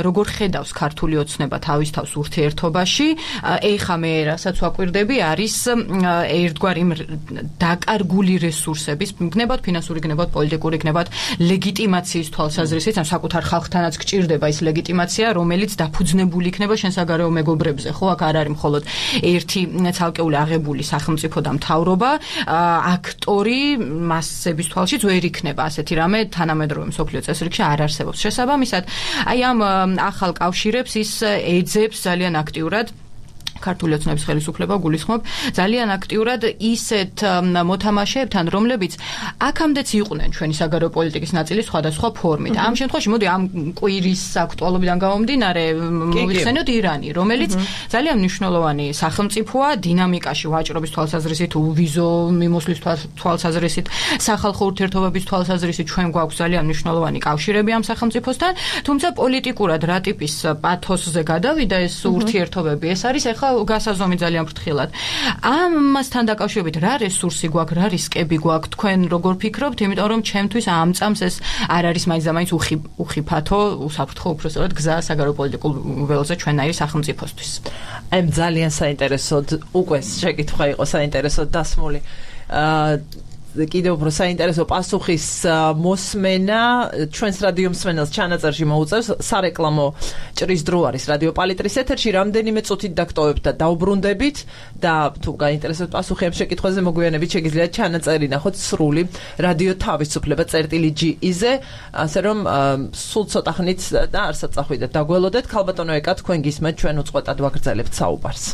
როგორ ხედავს ქართული ოცნება თავის თავს ურთიერთობაში ეხა მე რასაც ვაკვირდები არის ერთგვარი დაკარგული რესურსების გნებავთ ფინანსური გნებავთ პოლიტიკური გნებავთ ლეგიტიმაციის თვალსაზრისით ამ საკუთარ ხალხთანაც გჭირდება ის ლეგიტიმაცია რომელიც დაფუძნებული იქნება შენ საგარეო მეგობრებზე ხო აქ არ არის მხოლოდ ერთი ცალკეული აღებული სახელმწიფო და მთავრობა აქტორი მასების თვალშიც ვერ იქნება ასეთი რამე თანამედროვე მსოფლიო წესრიგში არ არსებობს შესაბამისად აი ამ ახალ კავშირებს ის ეძებს ძალიან აქტიურად ქართული ოცნების ხელისუფლება გულისხმობ ძალიან აქტიურად ისეთ მოთამაშეებთან რომლებიც აქამდეც იყვნენ ჩვენი საგარეო პოლიტიკის ნაწილი სხვადასხვა ფორმით ამ შემთხვევაში მოდი ამ კვირის აქტუალობიდან გამომდინარე მოვიხსენოთ ირანი რომელიც ძალიან მნიშვნელოვანი სახელმწიფოა დინამიკაში ვაჭრობის თვალსაზრისით უვიზო მიმოსვლის თვალსაზრისით სახალხო ურთიერთობების თვალსაზრისით ჩვენ გვაქვს ძალიან მნიშვნელოვანი კავშირები ამ სახელმწიფოსთან თუმცა პოლიტიკურად რა ტიპის პათოსზე გადავიდა ეს ურთიერთობები ეს არის ახლა გასაზომი ძალიან ფრთხილად. ამასთან დაკავშირებით რა რესურსი გვაქვს, რა რისკები გვაქვს, თქვენ როგორ ფიქრობთ, იმიტომ რომ ჩემთვის ამ წამს ეს არ არის მაინც და მაინც უხიფათო, უსაფრთხო უბრალოდ გზა საგარეო პოლიტიკურ ველზე ჩვენაირი სახელმწიფოსთვის. აი ძალიან საინტერესოდ უკვე შეკითხვა იყო საინტერესოდ დასმული. კიდევ უფრო საინტერესო პასუხის მოსმენა ჩვენს რადიო მსმენელს ჩანაწერში მოუწევს სარეკლამო ჭრის დრო არის რადიო პალიტრის ეთერში რამდენიმე წუთით დაგტოვებთ და დაუბრუნდებით და თუ გაინტერესებთ პასუხი ამ შეკითხვაზე მოგვიანებით შეგიძლიათ ჩანაწერი ნახოთ სრული რადიო თავისუფლება წერტილი.gz-ზე ასე რომ სულ ცოტა ხნით და არსად წახვიდეთ დაგველოდეთ ქალბატონო ეკა თქვენ გისმენთ ჩვენ უწყვეტად ვაგრძელებთ საუბარს.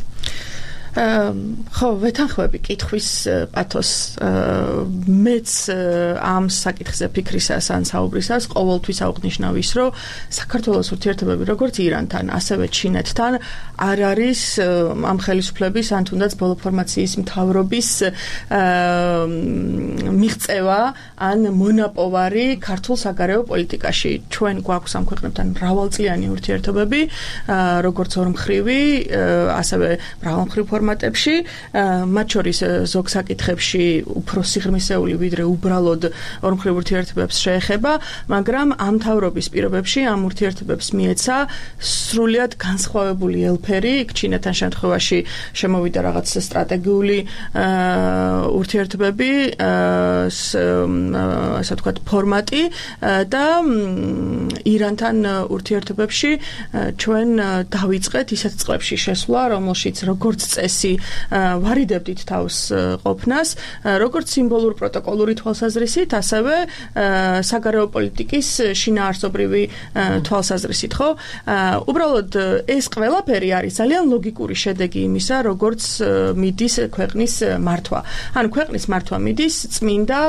ხო, ვეთანხმები კითხვის პათოს მეც ამ საკითხზე ფიქრისას ან საუბრისას ყოველთვის აუღნიშნავ ის, რომ საქართველოს ურთიერთობები როგორც ირანთან, ასევე ჩინეთთან არ არის ამ ხელისუფლების ან თუნდაც ბოლო ფორმაციის მთავრობის მიღწევა ან მონაპოვარი ქართულ საგარეო პოლიტიკაში. ჩვენ გვაქვს ამ ქვეყნებთან მრავალწლიანი ურთიერთობები, როგორც ორმხრივი, ასევე მრავალმხრივ ფორმატებში, მათ შორის ზოგ საკითხებში უფრო სიღრმისეული ვიდრე უბრალოდ ორმხრივ ურთიერთობებს შეეხება, მაგრამ ამ მთავრობის პირობებში ამ ურთიერთობებს მიეცა სრულიად განსხვავებული ელფერი, ჩინეთთან შემთხვევაში შემოვიდა რაღაც სტრატეგიული ურთიერთობები, ასე ვთქვათ, ფორმატი და ირანთან ურთიერთობებში ჩვენ დავიწყეთ ისეთ წლებში შესვლა, რომელშიც როგორც წესი ვარიდებდით თავს ყოფნას, როგორც სიმბოლურ პროტოკოლური თვალსაზრისით, ასევე საგარეო პოლიტიკის შინაარსობრივი თვალსაზრისით, ხო? უბრალოდ ეს ყველაფერი არის ძალიან ლოგიკური შედეგი იმისა, როგორც მიდის ქვეყნის მართვა. ანუ ქვეყნის მართვა მიდის წმინდა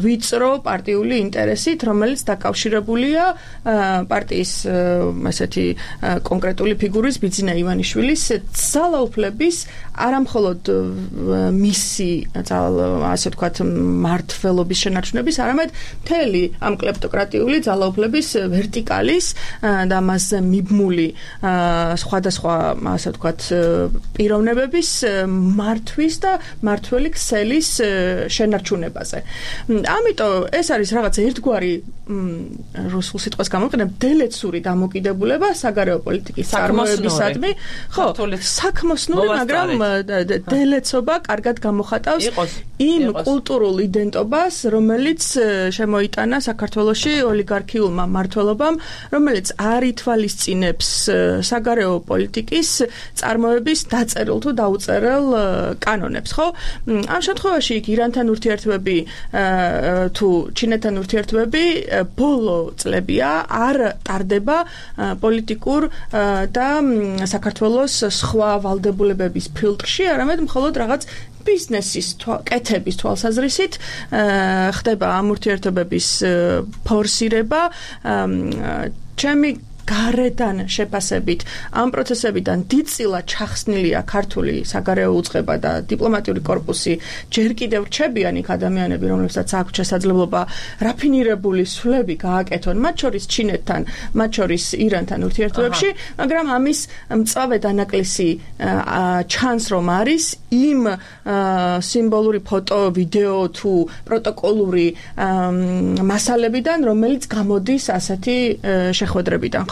ვიწრო პარტიული ინტერესით, რომელიც დაკავშირებულია პარტიის ესეთი კონკრეტული ფიგურის ბიძინა ივანიშვილის ძალაუფლების არამხოლოდ მისი ასე ვთქვათ მართლობის შენარჩუნების, არამედ მთელი ამ კლეპტოკრატიული ძალაუფლების ვერტიკალის და მასზე მიბმული სხვადასხვა ასე ვთქვათ პიროვნებების მართვის და მართველი ქსელის შენარჩუნებაზე. ამიტომ ეს არის რაღაც ერთგვარი რუსულ სიტყვას გამოვიყენებ დელეცური დამოკიდებულება საგარეო პოლიტიკის წარმოებისადმი, ხო, საქმოსნური, მაგრამ დელეცობა კარგად გამოხატავს იმ კულტურულ იდენტობას, რომელიც შემოიტანა საქართველოში ოლიგარქიულმა მმართველობამ, რომელიც არ ითვალისწინებს საგარეო პოლიტიკის წარმოების დაწერილ თუ დაუწერელ კანონებს, ხო? ამ შემთხვევაში იქ ირანთან ურთიერთობები თუ ჩინეთთან ურთიერთობები ბოლო წლებია არ ტარდება პოლიტიკურ და საქართველოს სხვა ვალდებულებების ფილტრში, არამედ მხოლოდ რაღაც ბიზნესის კეთების თვალსაზრისით ხდება ამ ურთიერთობების ფორსირება. ჩემი გარედან შეფასებით ამ პროცესებიდან დიდწილად ჩახსნილია ქართული საგარეო უწყება და დიპლომატიური კორპუსი ჯერ კიდევ რჩებიან იქ ადამიანები, რომლებსაც აქვს შესაძლებლობა რაფინირებული სვლები გააკეთონ, მათ შორის ჩინეთთან, მათ შორის ირანთან ურთიერთობებში, მაგრამ ამის მწვავე დანაკლისი ჩანს, რომ არის იმ სიმბოლური ფოტო, ვიდეო თუ პროტოკოლური მასალებიდან, რომელიც გამოდის ასეთი შეხვედრებიდან.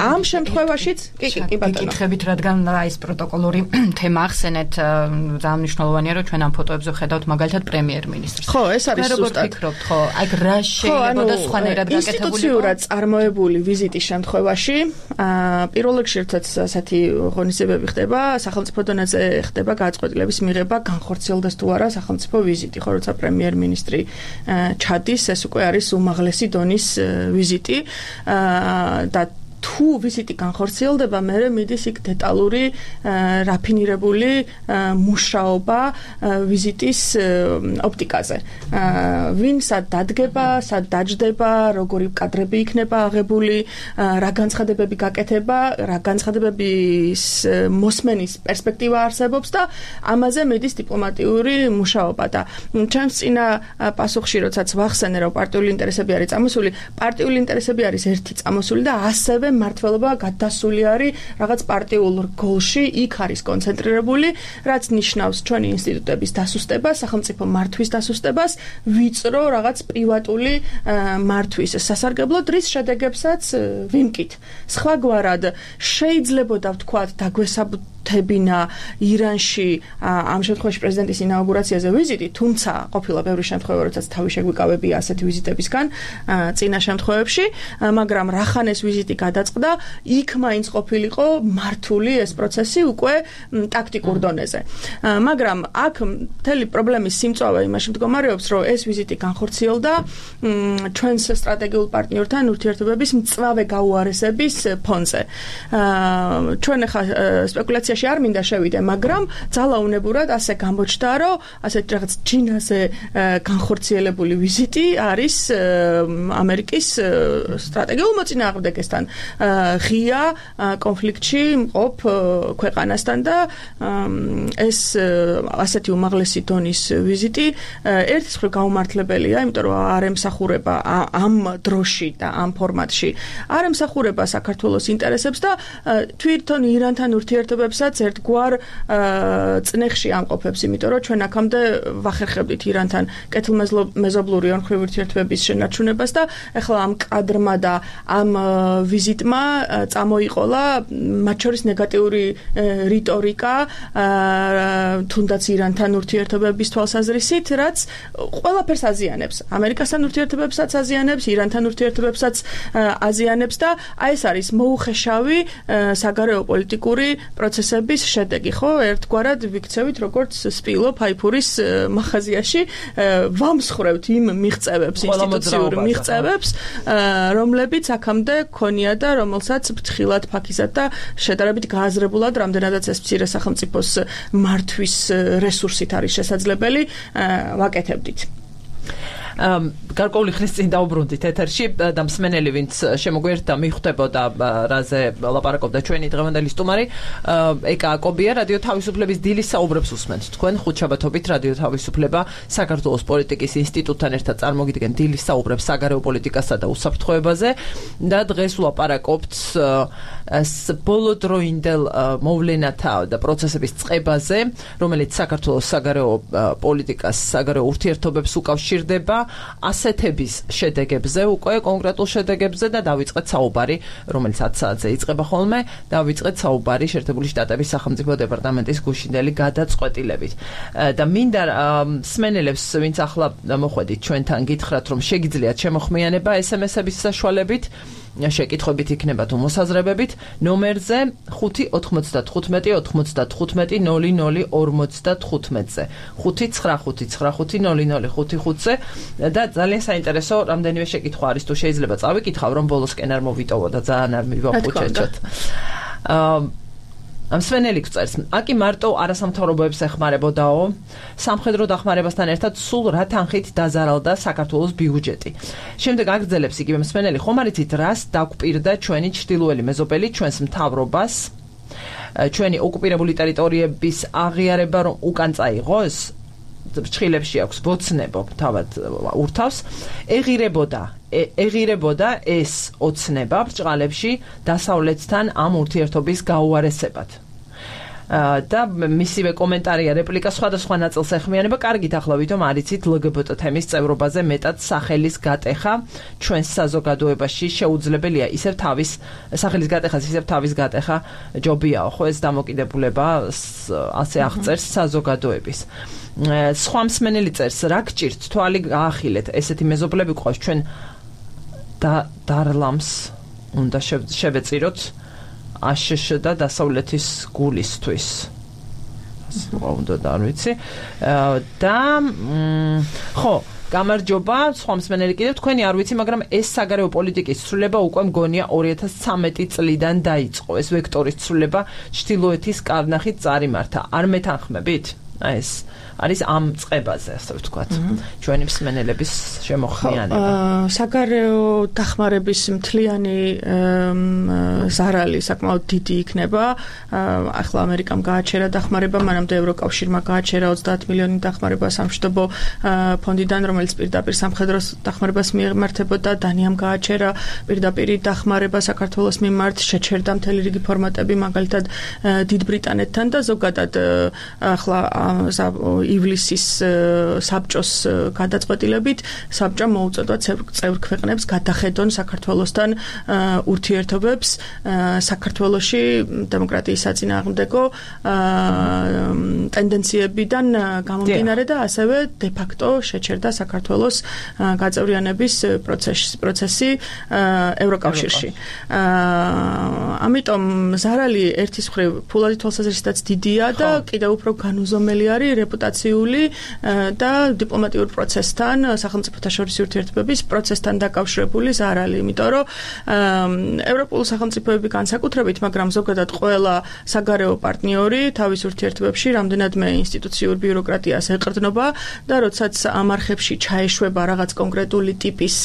ამ შემთხვევაშიც კი ბატონო კითხებით, რადგან ეს პროტოკოლური თემა ახსენეთ, ძალიან მნიშვნელოვანია, რომ ჩვენ ამ ფოტოებზე ხედავთ მაგალითად პრემიერ-მინისტრს. ხო, ეს არის ზუსტად. ფიქრობთ, ხო, აი რა შეიძლება და სხვანაირად გაკეთებული? ინსტიტუციურად წარმოებული ვიზიტის შემთხვევაში, პირველ რიგში ერთად ასეთი ღონისძიებები ხდება, სახელმწიფო დონეზე ხდება გადაწყვეტილების მიღება, განხორციელდეს თუ არა სახელმწიფო ვიზიტი, ხო, როცა პრემიერ-მინისტრი ჩადის, ეს უკვე არის უმაღლესი დონის ვიზიტი და თუ ვიზიტი განხორციელდება, მე მიდის იქ დეტალური რაფინირებული მუშაობა ვიზიტის ოპტიკაზე. ვინ სად დადგება, სად დაჯდება, როგორი კადრები იქნება აღებული, რა განცხადებები გაკეთება, რა განცხადებების მოსმენის პერსპექტივა არსებობს და ამაზე მიდის დიპლომატიური მუშაობა და ჩემს წინა პასუხში, როდესაც ვახსენე, რომ პარტიული ინტერესები არის წამოსული, პარტიული ინტერესები არის ერთი წამოსული და ასევე ასევე მართლობა გადასული არის რაღაც პარტიულ გოლში, იქ არის კონცენტრირებული, რაც ნიშნავს ჩვენი ინსტიტუტების დასუსტებას, სახელმწიფო მართვის დასუსტებას, ვიწრო რაღაც პრივატული მართვის სასარგებლოდ, რის შედეგებსაც ვიმკით. სხვაგვარად შეიძლებოდა ვთქვათ დაგვესაბუთებინა ირანში ამ შემთხვევაში პრეზიდენტის ინაუგურაციაზე ვიზიტი, თუმცა ყოფილა ბევრი შემთხვევა, როდესაც თავი შეგვიკავებია ასეთი ვიზიტებისგან წინა შემთხვევებში, მაგრამ რახან ეს ვიზიტი გადაწყდა, იქ მაინც ყოფილიყო მართული ეს პროცესი უკვე ტაქტიკურ დონეზე. მაგრამ აქ მთელი პრობლემის სიმწვავე იმაში მდგომარეობს, რომ ეს ვიზიტი განხორციელდა ჩვენს სტრატეგიულ პარტნიორთან ურთიერთობების მწვავე გაუარესების ფონზე. ჩვენ ახლა სპეკულაციაში არ მინდა შევიდე, მაგრამ ძალაუნებურად ასე გამოჩნდა, რომ ასეთ რაღაც ჩინაზე განხორციელებული ვიზიტი არის ამერიკის სტრატეგიულ მოწინააღმდეგესთან ღია კონფლიქტში მყოფ ქვეყანასთან და ეს ასეთი უმაღლესი დონის ვიზიტი ერთის მხრივ გაუმართლებელია, იმიტომ რომ არ ემსახურება ამ დროში და ამ ფორმატში არ ემსახურება საქართველოს ინტერესებს და თვითონ ირანთან ურთიერთობებსაც ერთგვარ წნეხში ამყოფებს, იმიტომ რომ ჩვენ აქამდე ვახერხებდით ირანთან კეთილმეზობლური ორმხრივი ურთიერთობების შენარჩუნებას და ეხლა ამ კადრმა და ამ ვიზიტმა წამოიყოლა მათ შორის ნეგატიური რიტორიკა თუნდაც ირანთან ურთიერთობების თვალსაზრისით, რაც ყველაფერს აზიანებს. ამერიკასთან ურთიერთობებსაც აზიანებს, ირანთან ურთიერთობებსაც აზიანებს და აი ეს არის მოუხეშავი საგარეო პოლიტიკური პროცესების შედეგი, ხო? ერთგვარად ვიქცევით როგორც სპილო ფაიფურის მაღაზიაში ვამსხრევთ იმ მიღწევებს, ინსტიტუციურ მიღწევებს, რომლებიც აქამდე ქონია და რომელსაც ფრთხილად, ფაქიზად და შედარებით გააზრებულად, რამდენადაც ეს მცირე სახელმწიფოს მართვის რესურსით არის შესაძლებელი, ვაკეთებდით. გარკვეული ხნის წინ დაუბრუნდით ეთერში და მსმენელი ვინც შემოგვიერთდა მიხვდებოდა რაზე ლაპარაკობდა ჩვენი დღევანდელი სტუმარი ეკა აკობია რადიო თავისუფლების დილის საუბრებს უსმენთ თქვენ ხუთშაბათობით რადიო თავისუფლება საქართველოს პოლიტიკის ინსტიტუტთან ერთად წარმოგიდგენ დილის საუბრებს საგარეო პოლიტიკასა და უსაფრთხოებაზე და დღეს ვლაპარაკობთ ბოლოდროინდელ მოვლენათა და პროცესების წყებაზე რომელიც საქართველოს საგარეო პოლიტიკას საგარეო ურთიერთობებს უკავშირდება ასეთების შედეგებზე უკვე კონკრეტულ შედეგებზე და დავიწყეთ საუბარი რომელიც 10 საათზე იწყება ხოლმე დავიწყეთ საუბარი შეერთებული შტატების სახელმწიფო დეპარტამენტის გუშინდელი გადაწყვეტილებით და მინდა მსმენელებს ვინც ახლა მოხვედით ჩვენთან გითხრათ რომ შეგიძლიათ შემოხმიანება SMS-ების საშუალებით შეკითხვებით იქნება თუ მოსაზრებებით ნომერზე 595-95-95-00-55-ზე 595-95-00-55-ზე და ძალიან საინტერესო რამდენიმე შეკითხვა არის თუ შეიძლება წავიკითხავ რომ ბოლოსკენ არ მოვიტოვო და ძალიან არ მივაყუჩეჭოთ მსმენელი გწერს აკი მარტო არასამთავრობოებს ეხმარებოდაო სამხედრო დახმარებასთან ერთად სულ რა თანხით დაზარალდა საქართველოს ბიუჯეტი შემდეგ აგრძელებს იგივე მსმენელი ხომ არ იცით რას დაგვპირდა ჩვენი ჩრდილოელი მეზობელი ჩვენს მთავრობას ჩვენი ოკუპირებული ტერიტორიების აღიარება რომ უკან წაიღოს ჭხილებში აქვს ბოცნებო თავად ურთავს ეღირებოდა ეს ოცნება ბრჭყალებში დასავლეთთან ამ ურთიერთობის გაუარესებად და მისივე კომენტარია რეპლიკა სხვადასხვა ნაწილს ეხმიანება კარგით ახლა ვითომ არიცით LGBT თემის წევრობაზე მეტად სახელის გატეხა ჩვენს საზოგადოებაში შეუძლებელია ისევ თავის სახელის გატეხას ისევ თავის გატეხა ჯობიაო ხო ეს დამოკიდებულება ასე აღწერს საზოგადოების სხვა მსმენელი წერს რა გჭირთ თვალი გაახილეთ ესეთი მეზობლები ყავს ჩვენ დარლამს უნდა შევეწიროთ აშშ და დასავლეთის გულისთვის უნდა და არ ვიცი და ხო გამარჯობა სხვა მსმენელი კიდევ თქვენი არ ვიცი მაგრამ ეს საგარეო პოლიტიკის ცვლილება უკვე მგონია 2013 წლიდან დაიწყო ეს ვექტორის ცვლილება ჩრდილოეთის კარნახით წარიმართა არ მეთანხმებით ეს არის ამ წყებაზე, ასე ვთქვათ, ჩვენი მსმენელების შემოხმიანება. საგარეო დახმარების მთლიანი ზარალი საკმაოდ დიდი იქნება. ახლა ამერიკამ გააჩერა დახმარება, მანამდე ევროკავშირმა გააჩერა 30 მილიონი დახმარება სამშვიდობო ფონდიდან, რომელიც პირდაპირ სამხედრო დახმარებას მიემართებოდა. დანიამ გააჩერა პირდაპირ დახმარება საქართველოს მიმართ, შეჩერდა მთელი რიგი ფორმატები, მაგალითად დიდ ბრიტანეთთან და ზოგადად ახლა ივლისის საბჭოს გადაწყვეტილებით საბჭომ მოუწოდა წევრ ქვეყნებს გადახედონ საქართველოსთან ურთიერთობებს საქართველოში დემოკრატიის საწინააღმდეგო ტენდენციებიდან გამომდინარე და ასევე de facto შეჩერდა საქართველოს გაწევრიანების პროცესი ევროკავშირში. ამიტომ ზარალი ერთის მხრივ ფულადი თვალსაზრისითაც დიდია და კიდევ უფრო განუზომელი არის რეპუტაციული და დიპლომატიურ პროცესთან, სახელმწიფოთა შორისი ურთიერთობების პროცესთან დაკავშირებული ზარალი, იმიტომ რომ ევროპულ სახელმწიფოები განსაკუთრებით, მაგრამ ზოგადად ყველა საგარეო პარტნიორი თავის ურთიერთობებში რამდენადმე ინსტიტუციურ ბიუროკრატიას ეყრდნობა და როდესაც ამ არხებში ჩაეშვება რაღაც კონკრეტული ტიპის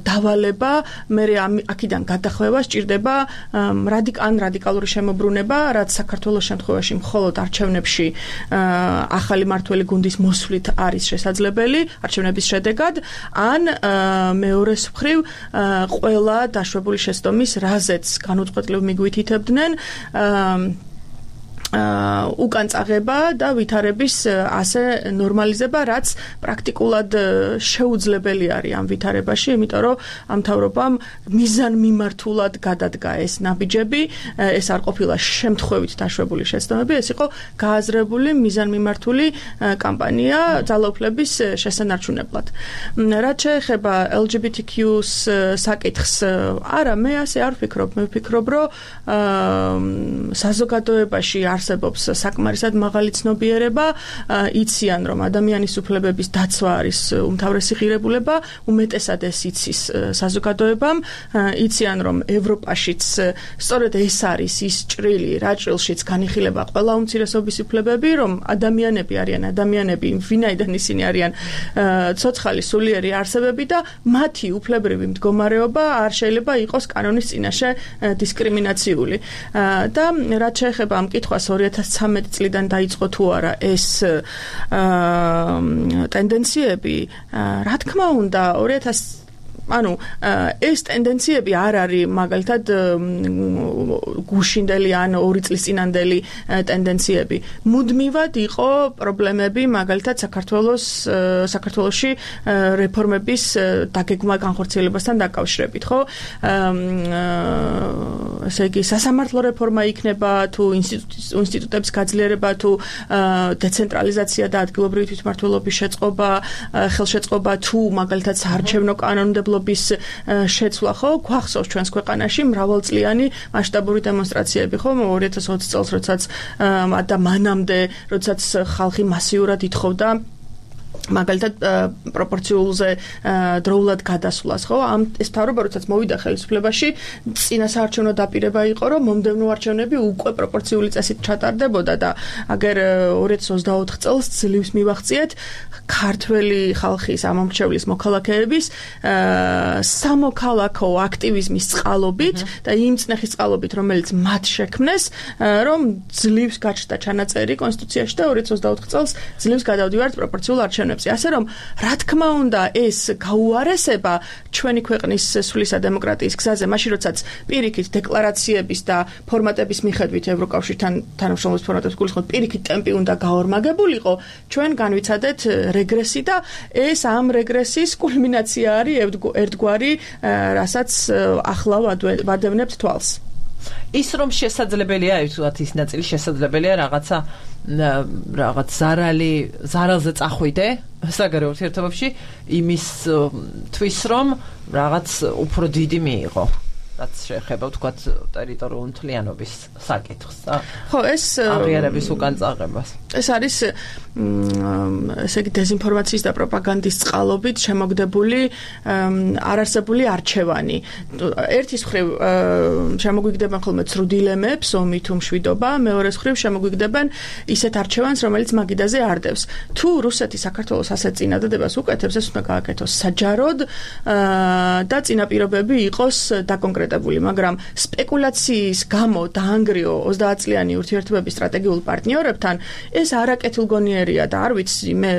დავალება, მე აქედან გადახვევა სჭირდება რადიკალური შემოbrunება, რაც საქართველოს შემთხვევაში მხოლოდ არჩევნებში ახალი მართველი გუნდის მოსვლით არის შესაძლებელი არჩევნების შედეგად, ან მეორეს მხრივ ყველა დაშვებული შეცდომის რაზეც განუწყვეტლივ მიგვითითებდნენ უკან წაღება და ვითარების ასე ნორმალიზება, რაც პრაქტიკულად შეუძლებელი არის ამ ვითარებაში, იმიტომ რომ ამ მთავრობამ მიზანმიმართულად გადადგა ეს ნაბიჯები, ეს არ ყოფილა შემთხვევით დაშვებული შეცდომები, ეს იყო გააზრებული მიზანმიმართული კამპანია ძალაუფლების შესანარჩუნებლად. რაც შეეხება LGBTQ-ს საკითხს, არა, მე ასე არ ვფიქრობ, მე ვფიქრობ, რომ საზოგადოებაში არსებობს საკმარისად მაღალი ცნობიერება, იციან, რომ ადამიანის უფლებების დაცვა არის უმთავრესი ღირებულება, უმეტესად ეს იცის საზოგადოებამ, იციან, რომ ევროპაშიც სწორედ ეს არის ის ჭრილი, რა ჭრილშიც განიხილება ყველა უმცირესობის უფლებები, რომ ადამიანები არიან ადამიანები, ვინაიდან ისინი არიან ცოცხალი სულიერი არსებები და მათი უფლებრივი მდგომარეობა არ შეიძლება იყოს კანონის წინაშე დისკრიმინაციული. და რაც შეეხება ამ კითხვას 2013 წლიდან დაიწყო თუ არა ეს ტენდენციები, რა თქმა უნდა, ეს ტენდენციები არ არის მაგალითად გუშინდელი ან 2 წლის წინანდელი ტენდენციები. მუდმივად იყო პრობლემები მაგალითად საქართველოში რეფორმების დაგეგმა განხორციელებასთან დაკავშირებით, ხო? ესე იგი, სასამართლო რეფორმა იქნება თუ ინსტიტუტების გაძლიერება თუ დეცენტრალიზაცია და ადგილობრივი თვითმმართველობის შეწყობა, ხელშეწყობა თუ მაგალითად საარჩევნო კანონმდებლობის შეცვლა, ხო? გვახსოვს ჩვენს ქვეყანაში მრავალწლიანი მასშტაბური დემონსტრაციები, ხო? 2020 წელს, როდესაც და მანამდე, როდესაც ხალხი მასიურად ითხოვდა მაგალითად პროპორციულზე დროულად გადასვლას, ხო? ეს მთავრობა, როდესაც მოვიდა ხელისუფლებაში, წინასაარჩევნო დაპირება იყო, რომ მომდევნო არჩევნები უკვე პროპორციული წესით ჩატარდებოდა და აგერ 2024 წელს ძლივს მივახციეთ ქართველი ხალხის ამომრჩევლის მოქალაქეების სამოქალაქო აქტივიზმის წყალობით და იმ წნეხის წყალობით, რომელიც მათ შექმნეს, რომ ძლივს გაჩნდა ჩანაწერი კონსტიტუციაში და 2024 წელს ძლივს გადავდივართ პროპორციულ არჩევნებზე. ასე რომ, რა თქმა უნდა, ეს გაუარესება ჩვენი ქვეყნის სულისა დემოკრატიის გზაზე, მაშინ როდესაც პირიქით დეკლარაციების და ფორმატების მიხედვით ევროკავშირთან თანამშრომლობის ფორმატებს გულისხმობთ, პირიქით ტემპი უნდა გაორმაგებულიყო, ჩვენ განვიცადეთ რეგრესი და ეს ამ რეგრესის კულმინაცია არის ერთგვარი, რასაც ახლა ვადევნებთ თვალს. ის რომ შესაძლებელია, ვთქვათ, ის ნაწილი შესაძლებელია რაღაც ზარალზე წახვიდე საგარეო ურთიერთობებში იმის თვის რომ რაღაც უფრო დიდი მიიღო. რაც შეეხება თქვათ ტერიტორიული მთლიანობის საკითხს და ხო ეს აღიარების უკან წაღებას. ეს არის ესე იგი დეზინფორმაციის და პროპაგანდის წყალობით შემოგდებული არარსებული არჩევანი. ერთის მხრივ შემოგვიგდებენ ხოლმე ცრუდილემებს, ომი თუ მშვიდობა, მეორეს მხრივ შემოგვიგდებენ ისეთ არჩევანს, რომელიც მაგიდაზე არდევს. თუ რუსეთი საქართველოს ასეთ წინადადებას უკეთებს, ეს უნდა გააკეთოს საჯაროდ და წინაპირობები იყოს დაკონკრეტებული, მაგრამ სპეკულაციის გამო დაანგრიო 30 წლიანი ურთიერთობების სტრატეგიულ პარტნიორებთან ეს არაკეთილგონიერია და არ ვიცი მე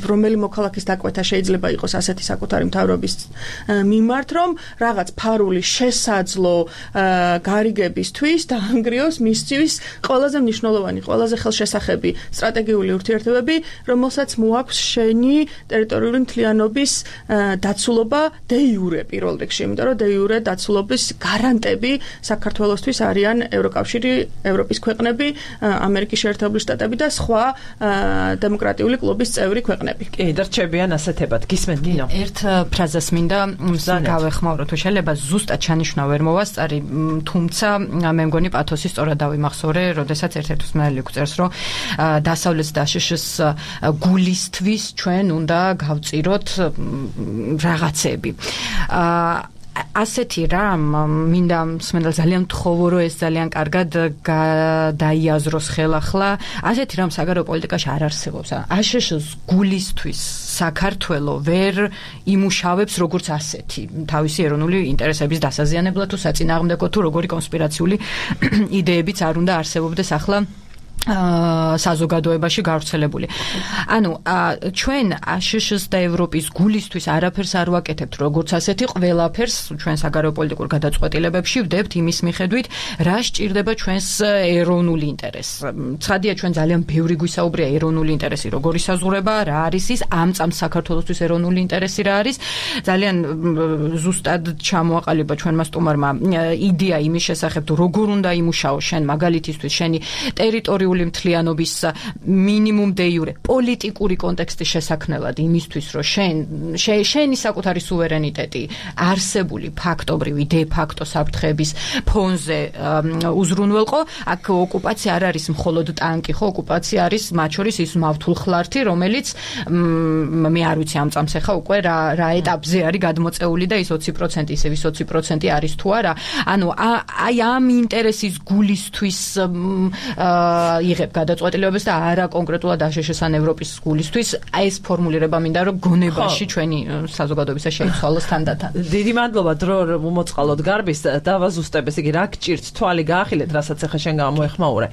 რომელი მოქალაქის დაკვეთა შეიძლება იყოს ასეთი საკუთარი მთავრობის მიმართ, რომ რაღაც ფარული შესაძლო გარიგებისთვის დაანგრიოს მისთვის ყველაზე მნიშვნელოვანი, ყველაზე ხელშესახები სტრატეგიული ურთიერთობები, რომელსაც მოაქვს შენი ტერიტორიული მთლიანობის დაცულობა დე იურე პირველ რიგში, იმიტომ რომ დე იურე დაცულობის გარანტები საქართველოსთვის არიან ევროკავშირი, ევროპის ქვეყნები, ამერიკის შეერთებული შტატები და სხვა დემოკრატიული კლუბის წევრი ქვეყნები. კი, და რჩებიან ასეთებად. გისმენთ ნინო? ერთ ფრაზას მინდა გავეხმაურო, თუ შეიძლება ზუსტად ჩანიშნა ვერ მოვასწარი, თუმცა მე მგონი პათოსი სწორად დავიმახსოვრე, როდესაც ერთ-ერთ უსმენელი გვწერს, რომ დასავლეთ და შშ-ს გულისთვის ჩვენ უნდა გავწიროთ რაღაცები. ასეთი რამ მინდა მსმენელს ძალიან მთხოვო, რომ ეს ძალიან კარგად გადაიაზროს ხელახლა. ასეთი რამ საგარეო პოლიტიკაში არ არსებობს. აშშ-ს გულისთვის საქართველო ვერ იმუშავებს როგორც ასეთი თავისი ეროვნული ინტერესების დასაზიანებლად თუ საწინააღმდეგო თუ როგორი კონსპირაციული იდეებიც არ უნდა არსებობდეს ახლა საზოგადოებაში გავრცელებული. ანუ ჩვენ აშშ-ს და ევროპის გულისთვის არაფერს არ ვაკეთებთ, როგორც ასეთი ყველაფერს ჩვენ საგარეო პოლიტიკურ გადაწყვეტილებებში ვდებთ იმის მიხედვით, რა სჭირდება ჩვენს ეროვნული ინტერესს. ცხადია, ჩვენ ძალიან ბევრი გვისაუბრია ეროვნული ინტერესი, როგორი საზღვრება, რა არის ის, ამ წამს საქართველოსთვის ეროვნული ინტერესი რა არის. ძალიან ზუსტად ჩამოაყალიბა ჩვენმა სტუმარმა იდეა იმის შესახებ, თუ როგორ უნდა იმუშაო შენ მაგალითისთვის შენი ტერიტორიული მთლიანობის მინიმუმ დე იურე პოლიტიკური კონტექსტის შესაქმნელად იმისთვის, რომ შენი საკუთარი სუვერენიტეტი არსებული ფაქტობრივი დე ფაქტო საფრთხების ფონზე უზრუნველყო. აქ ოკუპაცია არ არის მხოლოდ ტანკი, ხო, ოკუპაცია არის მათ შორის ის მავთულხლართი, რომელიც მე არ ვიცი ამ წამს ახლა უკვე რა ეტაპზე არის გადმოწეული და ის 20% ისე 20% არის თუ არა. ანუ აი ამ ინტერესის გულისთვის იღებ გადაწყვეტილებებს და არა კონკრეტულად აშშ-ან ევროპის გულისთვის. აი ეს ფორმულირება მინდა რომ გონებაში ჩვენი საზოგადოებისა შეიცვალოს თანდათან. დიდი მადლობა დრო მომოწყალოდ გარბის დავაზუსტებ, ესე იგი რა გჭირთ თვალი გაახილეთ, რასაც ახლა შენ გამოეხმაურე.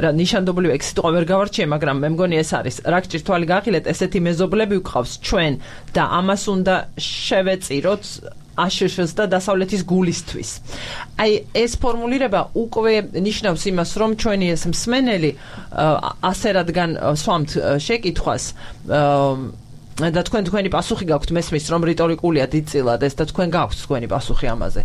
რა ნიშანდობლივ ეგ სიტყვა ვერ გავარჩიე, მაგრამ მე მგონი ეს არის. რა გჭირთ თვალი გაახილეთ, ესეთი მეზობლები ვყავს ჩვენ და ამას უნდა შევეწიროთ აშშ-ს და დასავლეთის გულისთვის. აი ეს ფორმულირება უკვე ნიშნავს იმას, რომ ჩვენი ეს მსმენელი ასე რადგან სვამთ შეკითხვას და თქვენი პასუხი გაქვთ, მესმის რომ რიტორიკულია დიდწილად ეს და თქვენ გაქვთ თქვენი პასუხი ამაზე,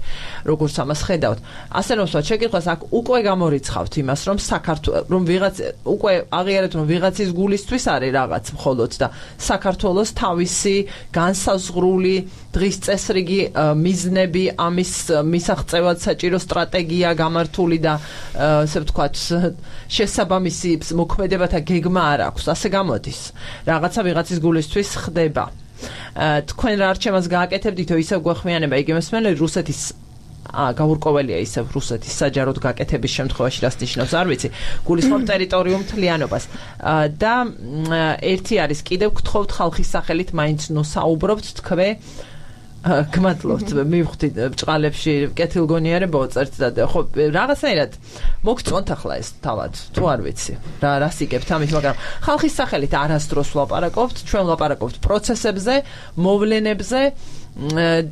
როგორც ამას ხედავთ. ასე რომ სვათ შეკითხვას აქ უკვე გამორიცხავთ იმას, რომ საქართველოს რომ ვიღაც უკვე აღიარეთ, რომ ვიღაცის გულისთვის არის რაღაც მხოლოდ და საქართველოს თავისი განსაზღვრული დღის წესრიგი მიზნები, ამის მისაღწევად საჭირო სტრატეგია გამართული და ასე ვთქვათ შესაბამისი მოქმედებათა გეგმა არ აქვს. ასე გამოდის. რაღაცა ვიღაცის გულისთვის ხდება. თქვენ რა არჩევანს გააკეთებდითო, ისევ გვეხმიანება იგი მსმენელი რუსეთის გაურკვეველია ისევ რუსეთის საჯაროდ გაკეთების შემთხვევაში რას ნიშნავს არ ვიცი. გულისხმობ ტერიტორიულ მთლიანობას. და ერთი არის კიდევ გთხოვთ ხალხის სახელით მაინც ნუ საუბრობთ თქვენ გმადლობთ, მივხვდით ბჭყალებში კეთილგონიერებაო წერთ და ხო რაღაცნაირად მოგწონთ ახლა ეს თავად თუ არ ვიცი რა სიკებთ ამით, მაგრამ ხალხის სახელით არასდროს ვლაპარაკობთ, ჩვენ ვლაპარაკობთ პროცესებზე, მოვლენებზე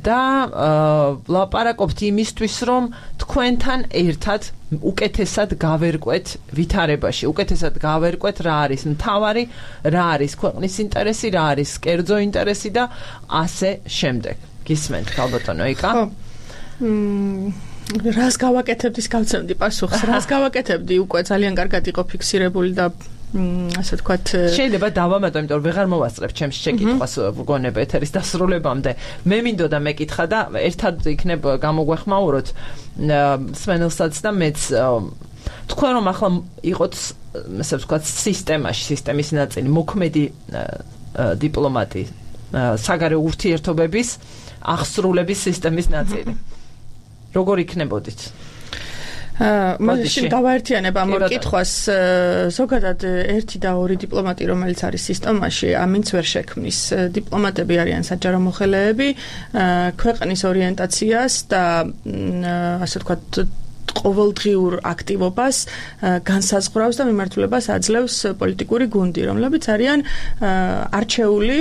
და ვლაპარაკობთ იმისთვის, რომ თქვენთან ერთად უკეთესად გავერკვეთ ვითარებაში, უკეთესად გავერკვეთ რა არის მთავარი, რა არის ქვეყნის ინტერესი, რა არის კერძო ინტერესი და ასე შემდეგ. გისმენთ ქალბატონო იკა? რას გავაკეთებდი გავცემდი პასუხს, რას გავაკეთებდი უკვე ძალიან კარგად იყო ფიქსირებული და ასე ვთქვათ შეიძლება დავამატო, იმიტომ რომ ვეღარ მოვასწრებ ჩემს შეკითხვას გონება ეთერის დასრულებამდე. მე მინდოდა მეკითხა და ერთად იქნებ გამოგვეხმაუროთ სვენელსაც და მეც თქვენ რომ ახლა იყოთ ასე ვთქვათ სისტემის ნაწილი, მოქმედი დიპლომატი, საგარეო ურთიერთობების აღსრულების სისტემის ნაწილი. როგორ იქნებოდით? მაშინ გავაერთიანებ ამ ორ კითხვას. ზოგადად ერთი და ორი დიპლომატი, რომელიც არის სისტემაში, ამინც ვერ შექმნის. დიპლომატები არიან საჯარო მოხელეები, ქვეყნის ორიენტაციას და ასე ვთქვათ ყოველდღიურ აქტივობას განსაზღვრავს და მიმართულებას აძლევს პოლიტიკური გუნდი, რომლებიც არიან არჩეული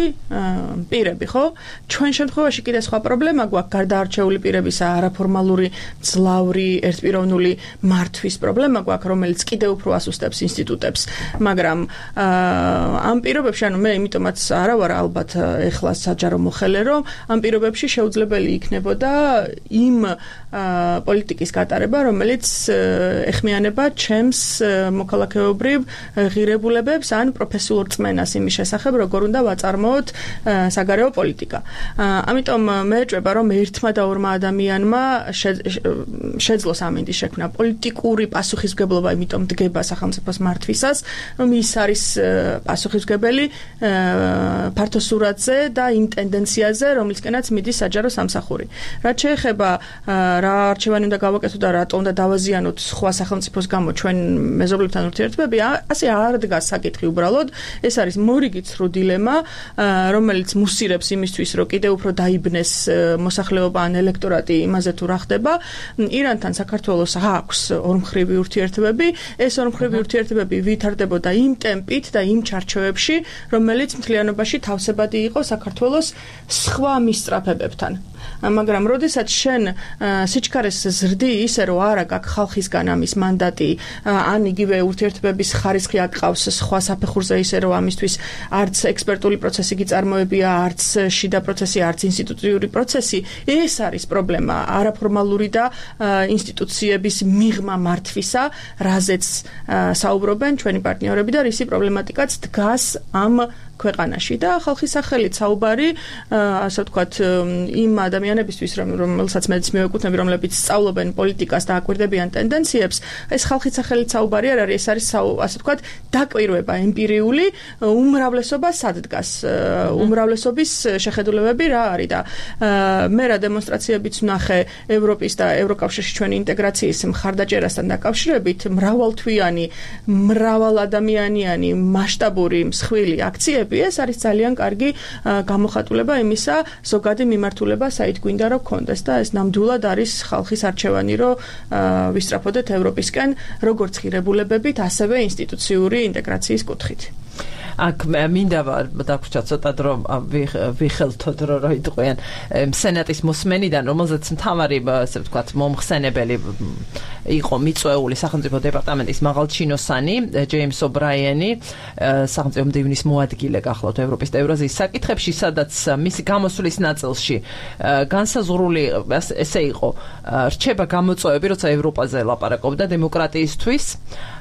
პირები, ხო? ჩვენ შემთხვევაში კიდე სხვა პრობლემა გვაქვს, გარდა არჩეული პირებისა, არაფორმალური, ძლავრი, ერთპიროვნული მართვის პრობლემა გვაქვს, რომელიც კიდე უფრო ასუსტებს ინსტიტუტებს, მაგრამ ამ პირობებში, ანუ მე იმიტომაც არა ვარ ალბათ ეხლა საჯარო მოხელე, რომ ამ პირობებში შეუძლებელი იქნებოდა იმ პოლიტიკის გატარება, რომელიც ეხმიანება ჩემს მოქალაქეობრივ ღირებულებებს ან პროფესიულ რწმენას იმის შესახებ, როგორ უნდა ვაწარმოოთ საგარეო პოლიტიკა. ამიტომ მე ეჭვება, რომ ერთმა და ორმა ადამიანმა შეძლოს ამინდის შექმნა. პოლიტიკური პასუხისმგებლობა იმიტომ დგება სახელმწიფოს მართვისას, რომ ის არის პასუხისმგებელი ფართო სურათზე და იმ ტენდენციაზე, რომლისკენაც მიდის საჯარო სამსახური. რაც შეეხება რა არჩევანი უნდა გავაკეთოთ და რატომ უნდა დავაზიანოთ სხვა სახელმწიფოს გამო ჩვენ მეზობლებთან ურთიერთობები, ასე არ დგას საკითხი უბრალოდ. ეს არის მორიგი ცრუ დილემა, რომელიც მუსირებს იმისთვის, რომ კიდევ უფრო დაიბნეს მოსახლეობა ან ელექტორატი იმაზე თუ რა ხდება. ირანთან საქართველოს აქვს ორმხრივი ურთიერთობები. ეს ორმხრივი ურთიერთობები ვითარდებოდა იმ ტემპით და იმ ჩარჩოებში, რომელიც მთლიანობაში თავსებადი იყო საქართველოს სხვა მისწრაფებებთან. მაგრამ როდესაც შენ სიჩქარეს ზრდი ისე რომ არა გაქვს ხალხისგან ამის მანდატი, ან იგივე ურთიერთობების ხარისხი აკყავს სხვა საფეხურზე ისე რომ ამისთვის არც ექსპერტული პროცესი გიწარმოებია, არც შიდა პროცესი, არც ინსტიტუციური პროცესი, ეს არის პრობლემა არაფორმალური და ინსტიტუციების მიღმა მართვისა, რაზეც საუბრობენ ჩვენი პარტნიორები და რისი პრობლემატიკაც დგას ამ ქვეყანაში და ხალხის სახელით საუბარი, ასე ვთქვათ, იმ ადამიანებისთვის, რომელსაც მეც მივეკუთვნები, რომლებიც სწავლობენ პოლიტიკას და აკვირდებიან ტენდენციებს, ეს ხალხის სახელით საუბარი არ არის, ეს არის ასე ვთქვათ, დაკვირვება ემპირიული, უმრავლესობა სად დგას, უმრავლესობის შეხედულებები რა არის და მე რა დემონსტრაციებიც ვნახე ევროპის და ევროკავშირში ჩვენი ინტეგრაციის მხარდაჭერასთან დაკავშირებით, მრავალთვიანი, მრავალადამიანიანი, მასშტაბური მსხვილი აქციები, ეს არის ძალიან კარგი გამოხატულება იმისა, ზოგადი მიმართულება საით გვინდა რომ გქონდეს და ეს ნამდვილად არის ხალხის არჩევანი, რომ ვისწრაფოდეთ ევროპისკენ, როგორც ღირებულებებით, ასევე ინსტიტუციური ინტეგრაციის კუთხით. აქ მინდა დაგვრჩა ცოტა დრო ვიხელთოთ რა იტყვიან სენატის მოსმენიდან, რომელზეც მთავარი ასე ვთქვათ მომხსენებელი იყო მიწვეული სახელმწიფო დეპარტამენტის მაღალჩინოსანი ჯეიმს ობრაიენი, სახელმწიფო მდივნის მოადგილე გახლავთ ევროპის და ევრაზიის საკითხებში, სადაც მისი გამოსვლის ნაწილში განსაზღვრული ესე იყო რჩება გამოწვევები, როცა ევროპაზე ლაპარაკობდა დემოკრატიისთვის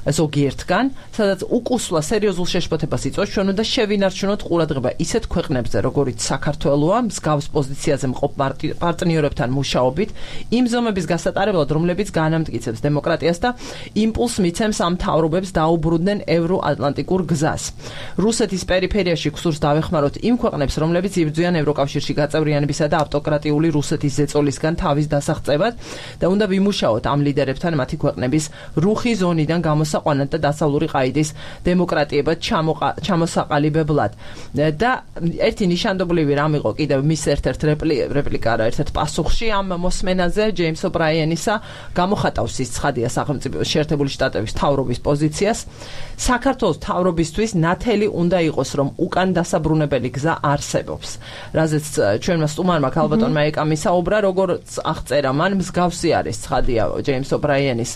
ზოგიერთგან, სადაც უკუსვლა სერიოზულ შეშფოთებას იწვევს, ჩვენ უნდა შევინარჩუნოთ ყურადღება ისეთ ქვეყნებზე, როგორიც საქართველოა, მსგავს პოზიციაზე მყოფ პარტნიორებთან მუშაობით, იმ ზომების გასატარებლად, რომლებიც განამტკიცებს დემოკრატიას და იმპულს მიცემს ამ მთავრობებს დაუბრუნდნენ ევროატლანტიკურ გზას. რუსეთის პერიფერიაში გსურს დავეხმაროთ იმ ქვეყნებს, რომლებიც იბრძვიან ევროკავშირში გაწევრიანებისა და ავტოკრატიული რუსეთის ზეწოლისგან თავის დასაღწევად და უნდა ვიმუშაოთ ამ ლიდერებთან მათი ქვეყნების რუხი ზონიდან გამოსაყვანად და დასავლური ყაიდის დემოკრატიებად ჩამოსაყალიბებლად. და ერთი ნიშანდობლივი რამ იყო კიდევ მის ერთ-ერთ რეპლიკა რა ერთ-ერთ პასუხში ამ მოსმენაზე ჯეიმს ობრაიენისა გამოხატავს ის ცხადია სახელმწიფო შეერთებული შტატების მთავრობის პოზიციას. საქართველოს მთავრობისთვის ნათელი უნდა იყოს, რომ უკან დასაბრუნებელი გზა არსებობს. რაზეც ჩვენმა სტუმარმა ქალბატონმა ეკამისაუბრა, როგორც აღწერა მან, მსგავსი არის ცხადია ჯეიმს ობრაიენის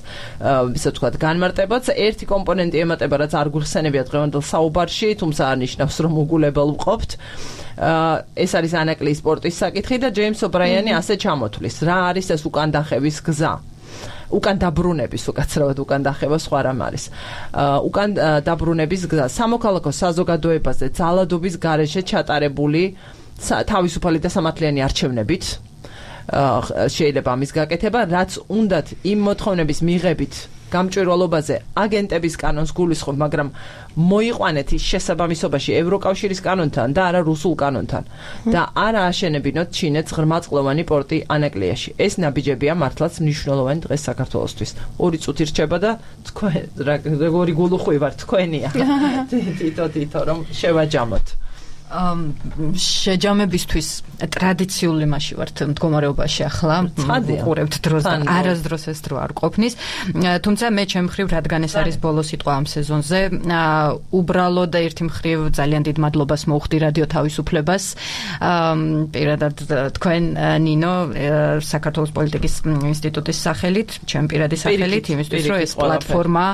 ისე ვთქვათ განმარტებაც. ერთი კომპონენტი ემატება, რაც არ გვიხსენებია დღევანდელ საუბარში, თუმცა არნიშნავს, რომ უგულებელ ვყოფთ. ეს არის ანაკლიის სპორტის საკითხი და ჯეიმს ობრაიანი ასე ჩამოთვლის. რა არის ეს უკან დახევის გზა? უკან დაბრუნების უკაცრავად უკან დახევა სხვა რამ არის. უკან დაბრუნების გზა სამოქალაქო საზოგადოებაზე ძალადობის გარეშე ჩატარებული თავისუფალი და სამართლიანი არჩევნებით შეიძლება ამის გაკეთება, რაც უნდათ იმ მოთხოვნების მიღებით გამჭვირვალობაზე აგენტების კანონს გულისხმობ, მაგრამ მოიყვანეთ ის შესაბამისობაში ევროკავშირის კანონთან და არა რუსულ კანონთან და არა აშენებინოთ ჩინეთს ღრმაწყლოვანი პორტი ანაკლიაში. ეს ნაბიჯებია მართლაც მნიშვნელოვანი დღეს საქართველოსთვის. 2 წუთი რჩება და თქვენ როგორი გულუხვი ვარ თქვენია. თითო რომ შევაჯამოთ. შეჯამებისთვის ტრადიციული მასში ვართ მდგომარეობაში ახლა ვუყურებთ დროს და არასდროს ეს დრო არ ყოფნის, თუმცა მე ჩემ მხრივ რადგან ეს არის ბოლო სიტყვა ამ სეზონზე, უბრალოდ და ერთი მხრივ ძალიან დიდ მადლობას მოუხდი რადიო თავისუფლებას, პირადად თქვენ ნინო საქართველოს პოლიტიკის ინსტიტუტის სახელით, ჩემ პირადი სახელით, იმისთვის რომ ეს პლატფორმა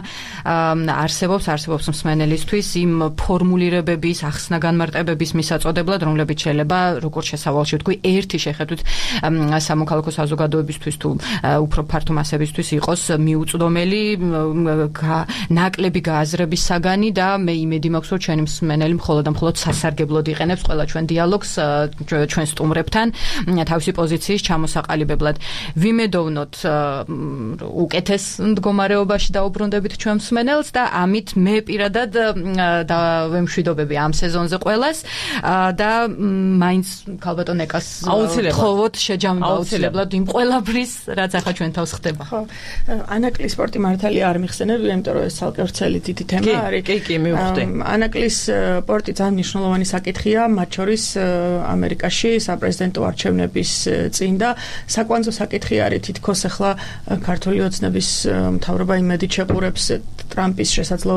არსებობს მსმენელისთვის იმ ფორმულირებების ახსნა განმარტებების მისაწოდებლად, რომლებიც შეიძლება როგორც შესავალში ვთქვი, ერთი შეხედვით სამოქალაქო საზოგადოებისთვის თუ უფრო ფართო მასებისთვის იყოს მიუწვდომელი, ნაკლები გააზრების საგანი და მე იმედი მაქვს, რომ ჩვენი მსმენელი მხოლოდ და მხოლოდ სასარგებლოდ იყენებს ყველა ჩვენ დიალოგს ჩვენ სტუმრებთან თავისი პოზიციის ჩამოსაყალიბებლად. ვიმედოვნოთ უკეთეს მდგომარეობაში დაუბრუნდებით ჩვენ მსმენელს და ამით მე პირადად დავემშვიდობები ამ სეზონზე ყველას და მაინც ქალბატონ ეკას თხოვოთ შეჯამება აუცილებლად იმ ყველაფრის, რაც ახლა ჩვენ თავს ხდება. ხო, ანაკლის სპორტი მართალია არ მიხსენებ, იმიტომ რომ ეს ცალკე ვრცელი დიდი თემა არის. კი, მივხვდი. ანაკლის სპორტი ძალიან მნიშვნელოვანი საკითხია, მათ შორის ამერიკაში საპრეზიდენტო არჩევნების წინ და საკვანძო საკითხი არის თითქოს ახლა ქართული ოცნების მთავრობა იმედით შეყურებს ტრამპის შესაძლო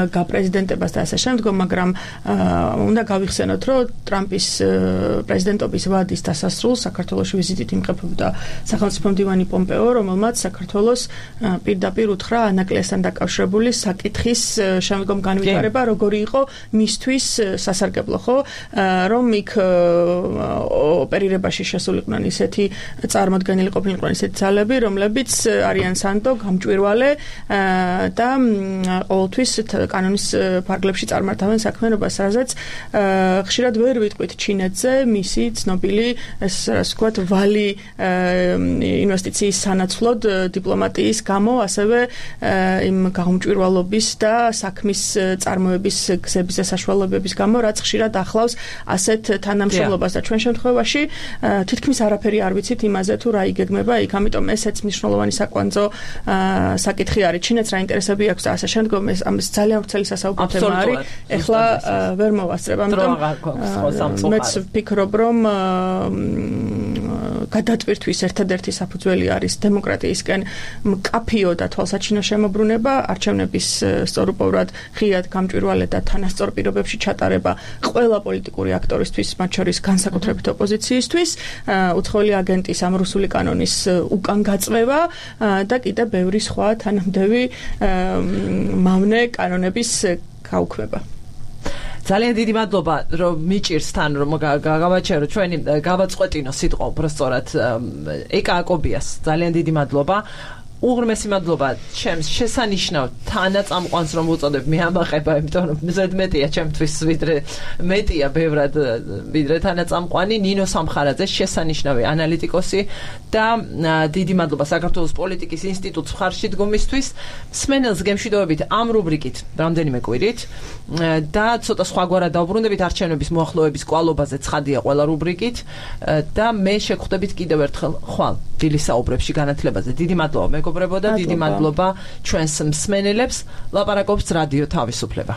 გაპრეზიდენტებას და ასე შემდგომ, მაგრამ უნდა გავიხსენოთ, რომ ტრამპის პრეზიდენტობის ვადის დასასრულს საქართველოში ვიზიტით იმყოფებოდა სახელმწიფო მდივანი პომპეო, რომელმაც საქართველოს პირდაპირ უთხრა ანაკლისთან დაკავშირებული საკითხის შემდგომ განვითარება, როგორი იყო მისთვის სასარგებლო, ხო, რომ იქ ოპერირებაში შესულიყვნენ ისეთი წარმოდგენილი ყოფილიყნენ ისეთი ძალები, რომლებიც არიან სანდო, გამჭვირვალე და ყოველთვის კანონის ფარგლებში წარმართავენ საქმიანობას, რაზეც ხშირად ვერ ვიტყვით ჩინეთზე მისი ცნობილი ეს ასე ვთქვათ ვალი ინვესტიციის სანაცვლოდ დიპლომატიის გამო, ასევე იმ გამჭვირვალობის და საქმის წარმოების გზების და საშუალებების გამო, რაც ხშირად ახლავს ასეთ თანამშრომლობას და ჩვენ შემთხვევაში თითქმის არაფერი არ ვიცით იმაზე თუ რა იგეგმება იქ, ამიტომ ესეც მნიშვნელოვანი საკვანძო საკითხი არის. ჩინეთს რა ინტერესები აქვს და ასე შემდგომ, ეს ძალიან ვრცელი სასაუბრო თემა არის. ეხლა ვერ მოვასწრებ, ამიტომ მეც ვფიქრობ, რომ გადატვირთვის ერთადერთი საფუძველი არის დემოკრატიისკენ მკაფიო და თვალსაჩინო შემოbrunება, არჩევნების სწორუპოვრად ღიად გამჭვირვალე და თანასწორ პირობებში ჩატარება ყველა პოლიტიკური აქტორისთვის, მათ შორის განსაკუთრებით ოპოზიციისთვის, უცხოელი აგენტის ამ რუსული კანონის უკან გაწვევა და კიდე ბევრი სხვა თანამდები მავნე კანონების გაუქმება. ძალიან დიდი მადლობა, რომ მიჭირს თან, რომ გავაჩერო ჩვენი გავაწყვეტინო სიტყვა უბრალოდ ეკა აკობიას. ძალიან დიდი მადლობა. უღრმესი მადლობა ჩემს შესანიშნავ თანაწამყვანს რომ უწოდებ მე ამაყება, იმიტომ რომ ზედმეტია ჩემთვის მეტია ბევრად ვიდრე თანაწამყვანი ნინო სამხარაძე, შესანიშნავი ანალიტიკოსი და დიდი მადლობა საქართველოს პოლიტიკის ინსტიტუტს მხარში დგომისთვის. მსმენელს გემშვიდობებით ამ რუბრიკით რამდენიმე კვირით და ცოტა სხვაგვარად დავბრუნდებით არჩევნების მოახლოების კვალობაზე, ცხადია ყველა რუბრიკით და მე შეგხვდებით კიდევ ერთხელ ხვალ დილის საუბრებში განათლებაზე. დიდი მადლობა მეგობრებო და დიდი მადლობა ჩვენს მსმენელებს. ლაპარაკობს რადიო თავისუფლება.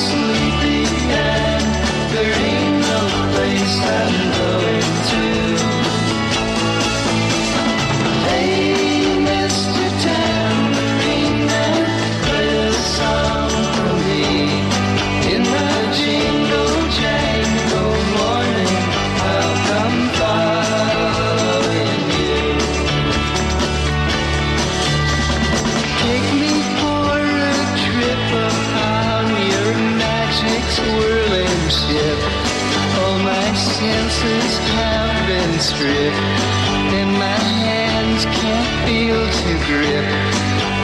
Sleepy and there ain't no senses have been stripped, and my hands can't feel to grip,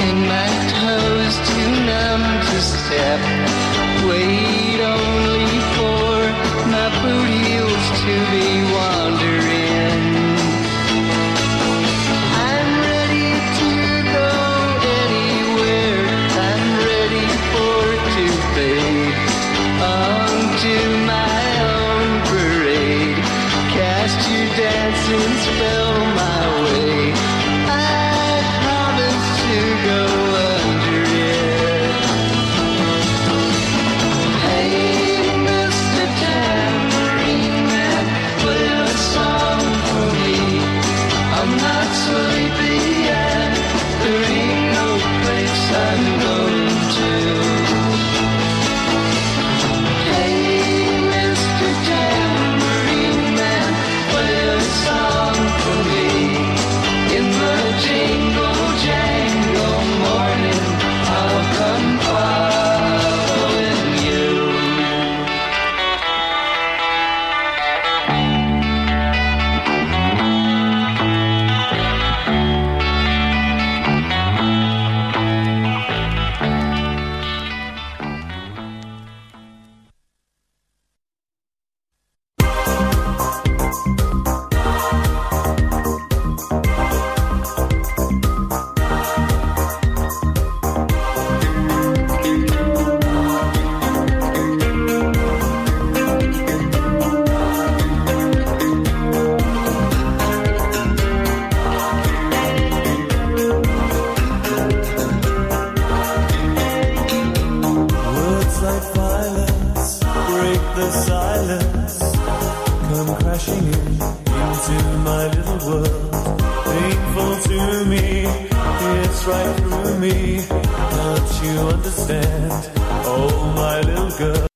and my toes too numb to step. Wait only for my boot heels to be wandering. I'm ready to go anywhere. I'm ready for it to fade onto my own parade. Cast your dancing spell my way. I promise to go under it. Hey, Mr. Tambourine Man, play a song for me. I'm not sleepy yet. There ain't no place I'm going to. Hey, Mr. Tambourine Man, play a song for me. In the jingle jangle morning, I'll come following you. Words like violence break the silence, come crashing into my little world. Painful to me, it's right through me. Can't you understand? Oh, my little girl.